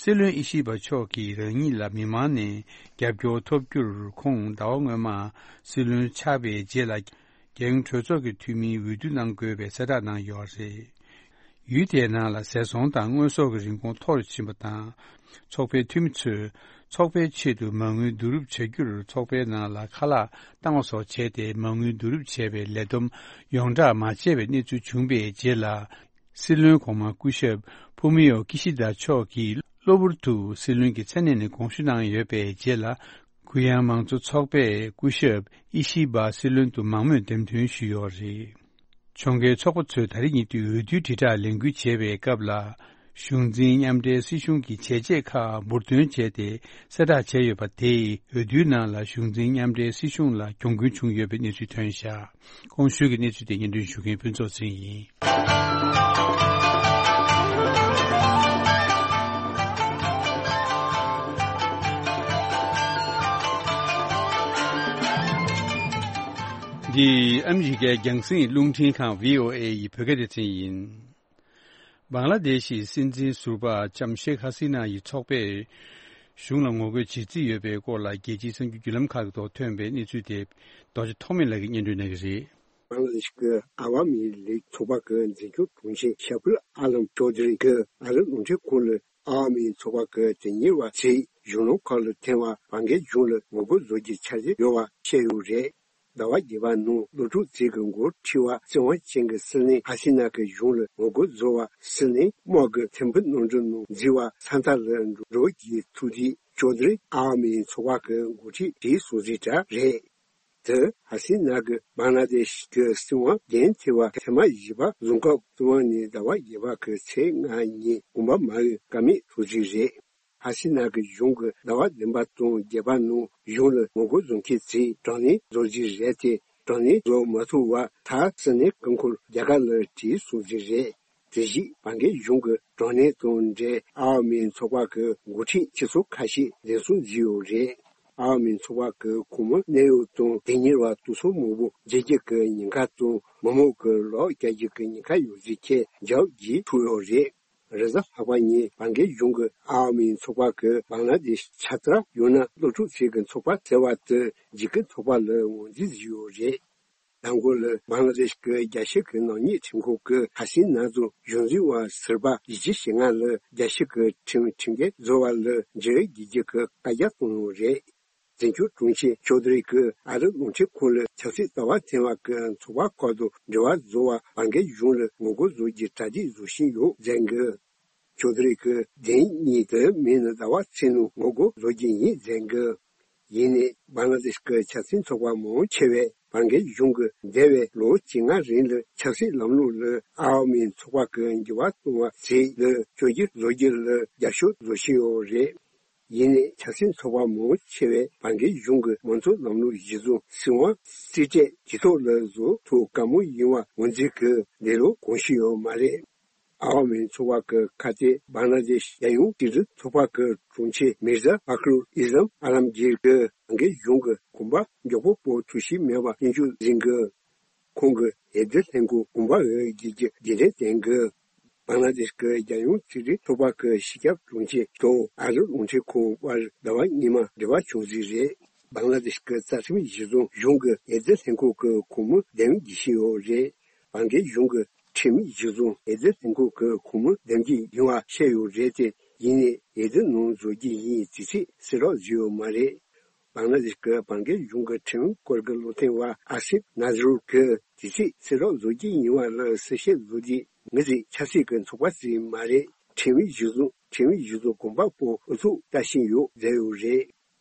སྲིད་བློན་ཨི་ཤི་བ་མཆོག་གིས་རང་ཉིད་ལ་མི་མང་ནས་རྒྱབ་སྐྱོར་ཐོབ་རྒྱུར། ཁོང་ཟླ་བ་སྔོན་མ་སྲིད་བློན་ཆགས་པའི་རྗེས་ལ། རྒྱལ་ཡོངས་གྲོས་ཚོགས་ཀྱི་འཐུས་མིའི་འོས་བསྡུ་གནང་དགོས་པའི་གསལ་བསྒྲགས་གནང་ཡོད་རེད། ཡུལ་དེའི་ནང་ལ་ཟས་ཚོང་དང་དངོས་ཟོག་གི་རིན་གོང་མཐོ་རུ་ཕྱིན་པ་དང་། ཚོགས་པའི་འཐུས་མི་ཚོས་ཚོགས་པའི་ཆེད་དུ་མ་དངུལ་བསྡུ་རུབ་བྱ་རྒྱུར། ཚོགས་པའི་ནང་ལ་ཁ་ལག་བཏང་བ་སོགས་བྱས་ཏེ་མ་དངུལ་བསྡུ་རུབ་བྱས་པའི་ལས་བསྡོམས་ཡོངས་བསྒྲགས་མ་བྱས་པའི་གནས་ཚུལ་བྱུང་པའི་རྗེས་ལ། སྲིད་བློན་གོང་མ་སྐུ་ཞབས་ཕུ་མི་ཡོ་ཀི་ཤི་དཱ་མཆོག་གིས་གློ་བུར་དུ་སྲིད་བློན་གྱི་མཚན་གནས་ནས་དགོངས་ཞུ་གནང་ཡོད་པའི་རྗེས་ལ། གུ་ཡངས་མང་གཙོ་ཚོགས་པས་སྐུ་ཞབས་ཨི་ཤི་བ་སྲིད་བློན་དུ་མང་མོས་འདེམས་ཐོན་ཞུས་ཡོད་རེད། ཕྱོགས་འགལ་ཚོགས་པ་ཚོས་ད་རེས་ཉིན་དུ་འོས་བསྡུའི་དྲིལ་བསྒྲགས་ལས་འགུལ་བྱེད་པའི་སྐབས་ལ། གཞུང་འཛིན་མཉམ་འབྲེལ་སྲིད་གཞུང་གི་བྱས་རྗེས་ཁག་འབུར་འདོན་བྱས་ཏེ་གསལ་བསྒྲགས་བྱས་ཡོད་པ་དེས། འོས་བསྡུའི་ནང་ལ་གཞུང་འཛིན་མཉམ་འབྲེལ་སྲིད་གཞུང་ལ་གྱོང་གུན་བྱུང་ཡོད་པའི་གནས་ཚུལ་ཐོན་བཞག་གོང་ཞུས་ཀྱི་གནས་ཚུལ་དེ་སྙན་སྒྲོན་ཞུ་མཁན་ཕུན་ཚོགས་ཚེ་རིང་ཡིན། འདི་ཨ་མི་རི་ཀའི་རྒྱང་སྲིང་རླུང་འཕྲིན་ཁང་བྷི་ཨོ་ཨེ་ཡི་བོད་སྐད་སྡེ་ཚན་ཡིན། བང་ལ་དེ་ཤི་སྲིད་འཛིན་ཟུར་པ་ལྕམ་ཤེག་ཧ་སི་ན་ཡི་ཚོགས་པས་གཞུང་ལ་ངོ་རྒོལ་བྱེད་རྩིས་ཡོད་པའི་སྐོར་ལ། རྒྱལ་སྤྱིའི་གསར་འགྱུར་བརྒྱུད་ལམ་ཁག་གི་ཐོག་ཐོན་པའི་གནས་ཚུལ་དེ་རྡོ་རྗེ་ཐོགས་མེད་ལགས་ཀྱིས་སྙན་སྒྲོན་གནང་གི་རེད། བང་ལ་དེ་ཤི་གི་ཨ་ཝ་མི་ལིག་ཚོགས་པ་གི་འཛིན་སྐྱོང་དྲུང་ཆེ་ཤ་ཕུལ་ཨ་ལམ་ཅོ་དི་རི་གི་ཨ་རི་རླུང་འཕྲིན་ཁང་ལ། ཨ་ཝ་མི་ཚོགས་པ་གི་དོན་གཉེར་བ་ཚོས་གཞུང་ལམ་ཁག་ལ་འཐེན་པར་བར་བརྒལ་གཞུང་ལ་ངོ་རྒོལ་བཟོ་རྒྱུའི་འཆར་གཞི་ཡོད་པ་བཤད་ཡོད་རེད། ཟླ་བ་བརྒྱད་པ་ནང་སློབ་ཕྲུག་ཚོས་གི་འགོ་ཁྲིད་པ་བཙན་དབང་ཅན་གྱི་སྲིད་བློན་ཧ་སི་ན་གི་གཞུང་ལ་ངོ་རྒོལ་བཟོ་བར་སྲིད་བློན་དམག་གི་ཐེམ་ཕུ་གནམ་གྲུ་ནང་འཛུལ་བ་ས་མཐའ་ལ་འགྲོ་རྒྱུའི་ཐུགས་འདུན་ཅོ་དི་རི་ཨ་ཝ་མི་ཚོགས་པ་གི་འགོ་ཁྲིད་དེས་གསུངས་གཟིགས་གྲ་རེད། དེ་ཧ་སི་ན་གི་བང་ལ་དེ་ཤི་གི་སྲིད་དབང་འགན་འཁྱེར་བ་ཐེངས་མ་བཞི་པ་རྫོང་ཁག་ཏུ་དབང་ནས་ཟླ་བ་བརྒྱད་པ་གི་ཚེས་ལྔ་ཉིན་དགོངས་པ་མ་འོས་ཀ་མེད་ཐོག་ཅིག་རེད། ཧ་སི་ན་གི་གཞུང་གི་ཟླ་བ་བདུན་པ་དང་བརྒྱད་པ་ནང་གཞུང་ལ་ངོ་རྒོལ་བཟོ་མཁན་ཚོས་དྲག་གནོན་བཟོ་རྩིས་རེད་དེ། དྲག་གནོན་བཟོ་མ་ཐུབ་བར་མཐར་སྲིད་བློན་སྐུ་འཁོར་རྒྱ་གར་ལ་བྲོས་སོང་རྩིས་རེད། དེ་བཞིན་བར་བརྒལ་གཞུང་གི་དྲག་གནོན་དང་འབྲེལ་ཨ་ཝ་མི་ཚོགས་པ་གི་འགོ་ཁྲིད་ཁྱི་ཚོ་ཁ་ཤས་འཛིན་བཟུང་བྱས་ཡོད་རེད། ཨ་ཝ་མི་ཚོགས་པ་གི་ཁོངས་མི་གནད་ཡོད་དང་དོན་གཉེར་བ་དེ་ཚོ་མང་པོ་འཇིགས་སྐྱོབ་ཀྱི་ཉེན་ཁ་དང་མི་མང་གི་ལག་རྒྱག་རྒྱུ་གི་ཉེན་ཁ་ཡོད་ཚུལ་ཁྱབ་འཇགས་ཀྱིས་ཐུག་ཡོད་རེད། རེས་གཟའ་ལྷག་པ་ཉིན་བར་བརྒལ་གཞུང་གི་ཨ་ཝ་མི་ཚོགས་པ་གི་བང་ལ་དེ་ཤི་ཆ་ཚང་ཡང་ན་སློབ་ཕྲུག་ཚོས་གི་ཚོགས་པ་ཟེར་བ་དེ་འཇིགས་སྐྱོབ་ཚོགས་པ་ལ་ངོས་འཛིན་བྱས་ཡོད་རེད། མདང་དགོང་ལ་བང་ལ་དེ་ཤི་གི་རྒྱལ་སྤྱི་གི་ནག་ཉེས་ཁྲིམས་ཁང་གི་ཧ་སི་ན་ཚོ་གཞུང་འཛིན་པ་ཟུར་པ་བཞི་བཅུ་ཞེ་ལྔ་ལ་རྒྱལ་སྤྱི་གི་ཁྲིམས་ཁྲིམས་འགལ་བཟོ་བ་ལ་འབྲེལ་བའི་རྒྱལ་སྤྱི་གི་བཀའ་རྒྱ་བཏང་ཡོད་རེད། འཛིན་སྐྱོང་དྲུང་ཆེ་ཅོ་དི་རི་གིས་ཨ་རི་རླུང་འཕྲིན་ཁང་ལ་ཆབ་སྲིད་ལྟ་བ་འཐེན་པ་གི་ཚོགས་པ་ཁག་དང་འབྲེལ་བ་བཟོ་བར་བར་བརྒལ་གཞུང་ལ་ངོ་རྒོལ་བཟོ་རྒྱུའི་གྲ་སྒྲིག་བཟོ་བཞིན་ཡོད་ཟེར་གི། ཅོ་དི་རི་གིས་བདེན་གཉིས་དེ་མིན་ན་ཟླ་བ་ཚེས་ནང་ངོ་རྒོལ་བཟོ་རྒྱུ་ཡིན་ཟེར་གི། ཡིན་ནའི་བང་ལ་དེ་ཤི་གི་ཆབ་སྲིད་ཚོགས་པ་མང་ཆེ་བས་བར་བརྒལ་གཞུང་གིས་འདས་པའི་ལོ་བཅོ་ལྔ་རིང་ལ་ཆབ་སྲིད་ལམ་ལུགས་ལ་ཨ་ཝ་མི་ཚོགས་པ་གི་འགྱུར་བ་གཏོང་བ་ཟེར་ལ་བཅོས་བསྒྱུར་བཟོ་རྒྱུ་ལ་རྒྱབ་སྐྱོར་བཟོ་བཞིན་ཡོད་རེད། ཡིན་ནའི་ཆབ་སྲིད་ཚོགས་པ་མང་ཆེ་བས་བར་བརྒལ་གཞུང་གི་མང་གཙོ་ལམ་ལུགས་གཞི་བཟུང་སྲིད་དབང་རྩིས་སྤྲོད་ཇུས་གཏོགས་ལ་བཟོ་ཐུབ་དཀའ་མོ་ཡིན་པ་ངོས་འཛིན་གྱིས་འདི་ལོ་གོང་ཞུས་ཡོད་མ་རེད། ཨ་བ་མི་ཚོགས་པ་གི་ཁ་གཏད། བང་ལ་དེཤ་རྒྱལ་ཡོངས་སྤྱི་འཐུས་ཚོགས་པ་གི་དྲུང་ཆེ་མིར་ཛ་ཕ་ཁ་རུལ་ཨི་ཟམ་ཨ་ལམ་གྱིར་གྱིས་བར་བརྒལ་གཞུང་གི་གོམ་པ་མགྱོགས་པོ་སྤོ་ཐུབ་ཀྱི་མེད་པ་སྐྱོན་བརྗོད་གནང་གི། ཁོང་གིས་འོས་བསྡུ་ལྷན་ཁང་གོམ་པ་འོག་བརྒྱུད་ཀྱི་རྒྱུན་ལྡན་བསྟན་དགོས། བང་ལ་དེཤ་གི་རྒྱལ་ཡོངས་སྤྱི་འཐུས་ཚོགས་པ་གི་སྤྱི་ཁྱབ་དྲུང་ཆེ་དང་ཨ་རི་རླུང་འཕྲིན་ཁང་དབར་ཟླ་བ་སྔོན་མ་འབྲེལ་བ་བྱུང་ཟིན་རེད། བང་ལ་དེཤ་གི་རྩ་ཁྲིམས་གཞིར་བཟུང་གཞུང་གི་འོས་བསྡུ་ལྷན་ཁང་གི་གོང་མ་འདེམས་བྱེད་བཞིན་ཡོད་རེད། བར་བརྒལ་གཞུང་གི་ཁྲིམས་ཡིག་གཞིར་བཟུང་འོས་བསྡུ་ལྷན་ཁང་གི་གོང་མ་འདེམས་རྒྱུ་ཡིན་པ་བཤད་ཡོད་རེད་དེ། ཡིན་ནའི་འོས་བསྡུ་ནང་འཛུལ་རྒྱུ་ཡིན་ཟེར་ཚིག་གསལ་རོགས་བཟོས་ཡོད་མ་རེད། བང་ལ་དེཤ་གི་བར་བརྒལ་གཞུང་གི་ཁྲིམས་སྐོར་གྱི་བློ་མཐུན་པ་ཨ་སིབ་ན་ཛི་རུལ་གྱིས་དེ་ཚིག་གསལ་རོགས་བཟོ་རྒྱུ་ཡིན་པ་ལ་གསལ་བཤད་བཟོ་དུས། ངེད་ཚོའི་ཆབ་སྲིད་ཀྱི་ཚོགས་པ་ཞིག་མ་རེད། ཁྲིམས་ཡིག་གཞིར་བཟུང་ཁྲིམས་ཡིག་གཞིར་བཟུང་གོམ་པ་སྤོ་ཨུ་ཚུགས་བལྟ་བཞིན་ཡོད་ཟེར་ཡོད་རེད།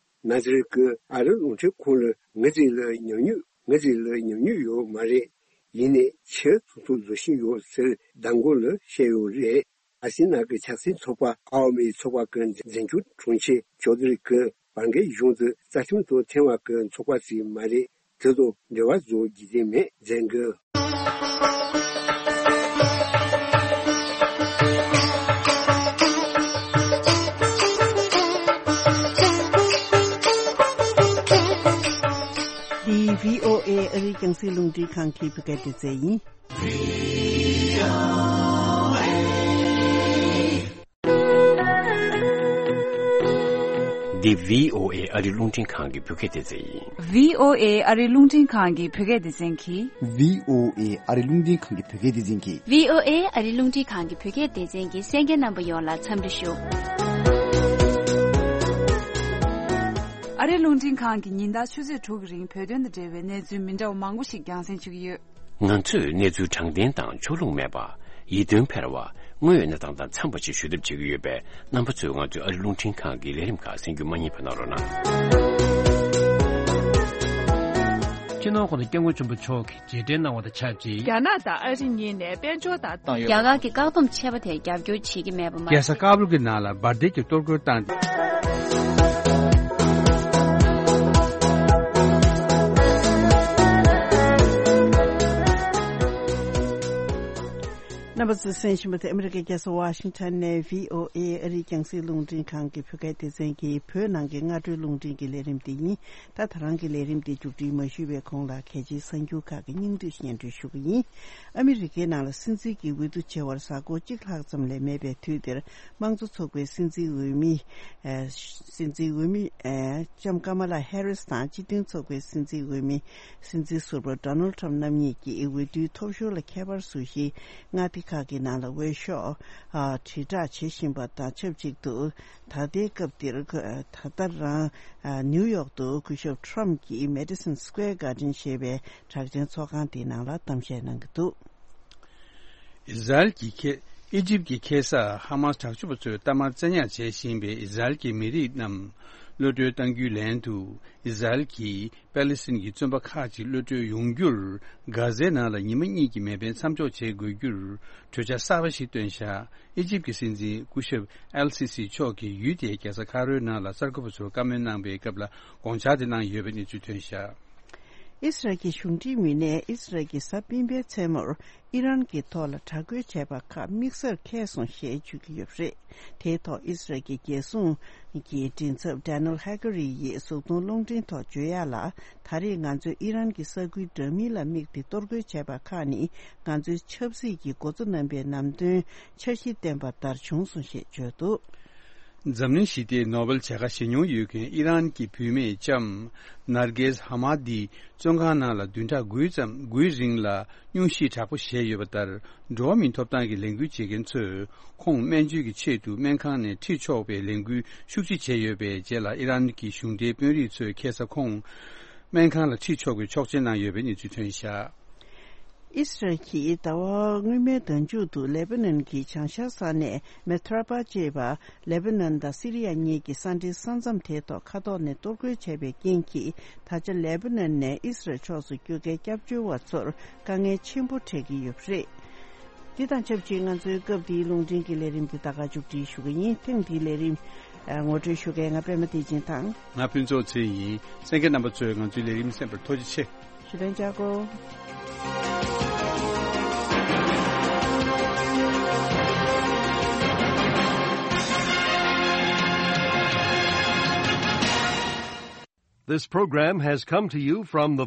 ན་ཛི་རུལ་གྱིས་ཨ་རི་རླུང་འཕྲིན་ཁང་ལ་ངེད་ཚོ་ལ་ཉམས་མྱོང་ངེད་ཚོ་ལ་ཉམས་མྱོང་ཡོད་མ་རེད། ཡིན་ནའི་ཆེས་ཐུབ་ཐུབ་བཟོ་བཞིན་ཡོད་ཟེར་མདང་དགོང་ལ་བཤད་ཡོད་རེད། ཨ་སི་ན་གི་ཆབ་སྲིད་ཚོགས་པ་ཨ་བ་མི་ཚོགས་པ་གི་འཛིན་སྐྱོང་དྲུང་ཆེ་ཅོ་དི་རི་གིས་བར་བརྒལ་གཞུང་དེ་རྩ་ཁྲིམས་དང་མཐུན་པ་གི་ཚོགས་པ་ཞིག་མ་རེད། དེ་དང་འབྲེལ་བ་བཟོ་རྒྱུ་དེ་མེད་ཟེར་གི། འདི་བྷི་ཨོ་ཨེ་ཨ་རིའི་རྒྱང་སྲིང་རླུང་འཕྲིན་ཁང་གི་བོད་སྐད་སྡེ་ཚན་ཡིན། འདི་བྷི་ཨོ་ཨེ་ཨ་རིའི་རླུང་འཕྲིན་ཁང་གི་བོད་སྐད་སྡེ་ཚན་ཡིན། བྷི་ཨོ་ཨེ་ཨ་རིའི་རླུང་འཕྲིན་ཁང་གི་བོད་སྐད་སྡེ་ཚན་གྱིས། བྷི་ཨོ་ཨེ་ཨ་རིའི་རླུང་འཕྲིན་ཁང་གི་བོད་སྐད་སྡེ་ཚན་གྱིས། བྷི་ཨོ་ཨེ་ཨ་རིའི་རླུང་འཕྲིན་ཁང་གི་བོད་སྐད་སྡེ་ཚན་གྱི་གསན་མཁན་རྣམ་པ་ཡོངས་ལ་འཚམས་འདྲི་ཞུ། ཨ་རིའི་རླུང་འཕྲིན་ཁང་གིས་ཉིན་ལྟར་ཆུ་ཚོད་དྲུག་གི་རིང་བོད་དོན་དང་འབྲེལ་བའི་གནས་ཚུལ་མི་འདྲ་བ་མང་པོ་ཞིག་རྒྱང་སྲིང་ཞུ་གི་ཡོད། ང་ཚོས་གནས་ཚུལ་དྲང་བདེན་དང་ཕྱོགས་ལྷུང་མེད་པ། ཡིད་རྟོན་འཕེར་བ། དངོས་ཡོད་གནས་སྟངས་དང་འཚམས་པ་ཞིག་ཞུ་ཐབས་བྱེད་ཀྱི་ཡོད་པས། རྣམ་པ་ཚོས་ང་ཚོའི་ཨ་རིའི་རླུང་འཕྲིན་ཁང་གི་ལས་རིམ་ཁག་གསན་རྒྱུ་མ་བསྙེལ་བ་གནང་རོགས་གནང་། སྤྱི་ནོར་༸གོང་ས་༸སྐྱབས་མགོན་ཆེན་པོ་མཆོག་གིས་རྗེས་དྲན་གནང་བ་དང་ཆབས་ཅིག་རྒྱ་ནག་དང་ཨ་རི་གཉིས་ནས་དཔལ་འབྱོར་དང་བཏང་ཡོད། རྒྱ་གར་གྱི་བཀག་སྡོམ་ཆད་པ་དེར་རྒྱབ་སྐྱོར་བྱེད་ཀྱི་མེད་པ་མ་རྒྱལ་ས་ཟད། ཀ་བུལ་གྱི་ནང་ལ་འབར་མདེལ་གྱི་གཏོར་རྒོལ་བཏང་། རྣམ་པ་ཚོས་གསན་བཞིན་པ་དེ་ཨ་མི་རི་ཀའི་རྒྱལ་ས་ཝ་ཤིང་ཊོན་ནས་བྷི་ཨོ་ཨེ་ཨ་རིའི་རྒྱང་སྲིང་རླུང་འཕྲིན་ཁང་གི་བོད་སྐད་སྡེ་ཚན་གྱི་བོད་ནང་གི་སྔ་དྲོའི་རླུང་འཕྲིན་གྱི་ལས་རིམ་དེ་ཡིན། ད་ད་རང་གི་ལས་རིམ་དེ་མཇུག་སྒྲིལ་མ་ཞུས་པའི་གོང་ལ་གལ་ཆེའི་གསར་འགྱུར་ཁག་གི་སྙིང་བསྡུས་སྙན་སྒྲོན་ཞུ་གི་ཡིན། ཨ་མི་རི་ཀའི་ནང་ལ་སྲིད་འཛིན་གྱི་འོས་བསྡུ་བྱེད་པར་གཟའ་འཁོར་གཅིག་ལྷག་ཙམ་ལས་མེད་པའི་དུས་འདིར། དམངས་གཙོ་ཚོགས་པའི་སྲིད་འཛིན་འོས་མི། ཨ། སྲིད་འཛིན་འོས་མི། ཨ། ལྕམ་ཀ་མ་ལ་ཧེ་རིས་དང་སྤྱི་མཐུན་ཚོགས་པའི་སྲིད་འཛིན་འོས་མི། སྲིད་འཛིན་ཟུར་པ་ཌོ་ནལ་ཊམ་རྣམ་གཉིས་ཀྱིས་འོས་བསྡུའི་ཐོབ་ཤོར་ལ་ཁྱད་པར་བཟོ་གཞིའི་མངའ་སྡེ་ཁག་གི་ནང་ལ་འོས་ཤོག་ཨ། དྲིལ་བསྒྲགས་བྱེད་བཞིན་པ་དང་ཆབས་ཅིག་ཏུ། ད་ལྟའི་སྐབས་འདིར། ད་ལྟ་རང་། ཨ། ནིའུ་ཡོག་ཏུ་སྐུ་ཞབས་ཊམ་གྱིས་Madison Square Garden ཞེས་པའི་གྲགས་ཅན་ཚོགས་ཁང་དེའི་ནང་ལ་གཏམ་བཤད་གནང་གི་འདུག། ཨི་ཟ་རེལ་གྱི་ཁེ། ཨི་ཇིབ་ཀྱི་ཁེ་ས་ཧ་མཱས་དྲག་སྤྱོད་པ་ཚོས་གཏའ་མར་བཙན་ཉར་བྱེད་བཞིན་པའི་ཨི་ཟ་རེལ་གྱི་མི་རིགས་རྣམས་གློད་གྲོལ་གཏང་རྒྱུའི་ལན་དུ། ཨི་ཟ་རེལ་གྱིས་པེ་ལི་སི་ཐན་གྱི་བཙོན་པ་ཁག་ཅིག་གློད་གྲོལ་ཡོང་རྒྱུར། གྷ་ཟའི་ནང་ལ་ཉི་མ་གཉིས་ཀྱི་མེ་འཕེན་མཚམས་འཇོག་བྱེད་དགོས་རྒྱུར། གྲོས་འཆར་གསར་པ་ཞིག་བཏོན་བཞག། ཨི་ཇིབ་ཀྱི་སྲིད་འཛིན་སྐུ་ཞབས་ཨེལ་སི་སི་མཆོག་གིས་ཡུལ་དེའི་རྒྱལ་ས་ཁ་རོའི་ནང་ལ་གསར་འགོད་པ་ཚོར་བཀའ་མོལ་གནང་པའི་སྐབས་ལ་དགོངས་འཆར་དེ་གནང་ཡོད་པའི་གནས་ཚུལ་ཐོན་བཞག། ཨི་སི་རལ་གྱི་གཞུང་འབྲེལ་མི་སྣས་ཨི་སི་རལ་གྱིས་གཟའ་སྤེན་པའི་མཚན་མོར་ཨི་རན་གྱི་ཐོག་ལ་དྲག་རྒོལ་བྱས་པ་ཁག་དམིགས་བསལ་འཁེལ་སོང་ཞེས་བརྗོད་ཀྱི་ཡོད་པ་རེད། དེའི་ཐོག་ཨི་སི་རལ་གྱི་རྒྱལ་སྲུང་གི་མགྲིན་ཚབ་ཌེ་ནེལ་ཧེ་ཀ་རི་ཡིས་གཟུགས་མཐོང་རླུང་འཕྲིན་ཐོག་བརྗོད་ཡག་ལ། ད་རེས་ང་ཚོས་ཨི་རན་གྱི་ས་ཁུལ་འདྲ་མིན་ལ་དམིགས་ཏེ་གཏོར་རྒོལ་བྱས་པ་ཁག་ནི་ང་ཚོའི་ཆབ་སྲིད་ཀྱི་འགོ་གཙོ་རྣམ་པའི་ནམ་དོན་འཆར་གཞི་བཏོན་པ་ལྟར་བྱུང་སོང་ཞེས་བརྗོད་འདུག། འཛམ་གླིང་ཞི་བདེའི་ནོ་བེལ་བྱ་དགའ་བཞེས་མྱོང་ཡོད་མཁན་ཨི་རན་གྱི་བུད་མེད་ལྕམ་ནར་གེས་ཧ་མ་དི་བཙོན་ཁང་ནང་ལ་བདུན་ཕྲག་དགུའི་ཙམ་དགུའི་རིང་ལ་སྙུང་གཞི་དྲག་པོ་བཞེས་ཡོད་པ་ལྟར། འགྲོ་བ་མིའི་ཐོབ་ཐང་གི་ལས་འགུལ་བྱེད་མཁན་ཚོས་ཁོང་སྨན་བཅོས་ཀྱི་ཆེད་དུ་སྨན་ཁང་ནས་ཁྲིད་ཆོག་པའི་ལས་འགུལ་ཤུགས་ཆེ་བྱས་ཡོད་པའི་རྗེས་ལ། ཨི་རན་གྱི་གཞུང་འབྲེལ་དཔོན་རིགས་ཚོས་ཁ་སང་ཁོང་སྨན་ཁང་ལ་ཁྲིད་ཆོག་པའི་ཆོག་མཆན་གནང་ཡོད་པའི་གནས་ཚུལ་ཐོན་བཞག། ཨི་སི་རལ་གྱིས་ཟླ་བ་སྔོན་མའི་ཟླ་མཇུག་ཏུ་ལེ་པ་ནན་གྱི་བྱང་ཤར་ས་གནས་མེ་ཐ་ར་པ་ཅེས་པ་ལེ་པ་ནན་དང་སི་རི་ཡ་གཉིས་ཀྱི་ས་འབྲེལ་ས་མཚམས་དེའི་ཐོག་མཁའ་ཐོག་ནས་གཏོར་རྒོལ་བྱས་པའི་རྐྱེན་གྱིས། ད་ཆ་ལེ་པ་ནན་ནས་ཨི་སི་རལ་ཕྱོགས་སུ་སྐྱོད་མཁན་སྐྱབས་བཅོལ་བ་ཚོར་དཀའ་ངལ་ཆེན་པོ་འཕྲད་ཀྱི་ཡོད་པ་རེད། འདི་དང་ཆབས་ཅིག་ང་ཚོའི་སྐབས་འདིའི་རླུང་འཕྲིན་གྱི་ལས་རིམ་འདི་ད་ག་མཇུག་སྒྲིལ་ཞུ་གི་ཡིན། ཐེངས་འདིའི་ལས་རིམ་ངོ་སྤྲོད་ཞུ་མཁན་ང་པད་མ་བདེ་ཆེན་དང་། ང་ཕུན་ཚོགས་ཚེ་ཡིན། གསན་མཁན་རྣམ་པ་ཚོས་ང་ཚོའི་ལས་རིམ་གསན་པར་ཐུགས་རྗེ་ཆེ། ཞུ་དོན་བྱ་དགོས། This program has come to you from the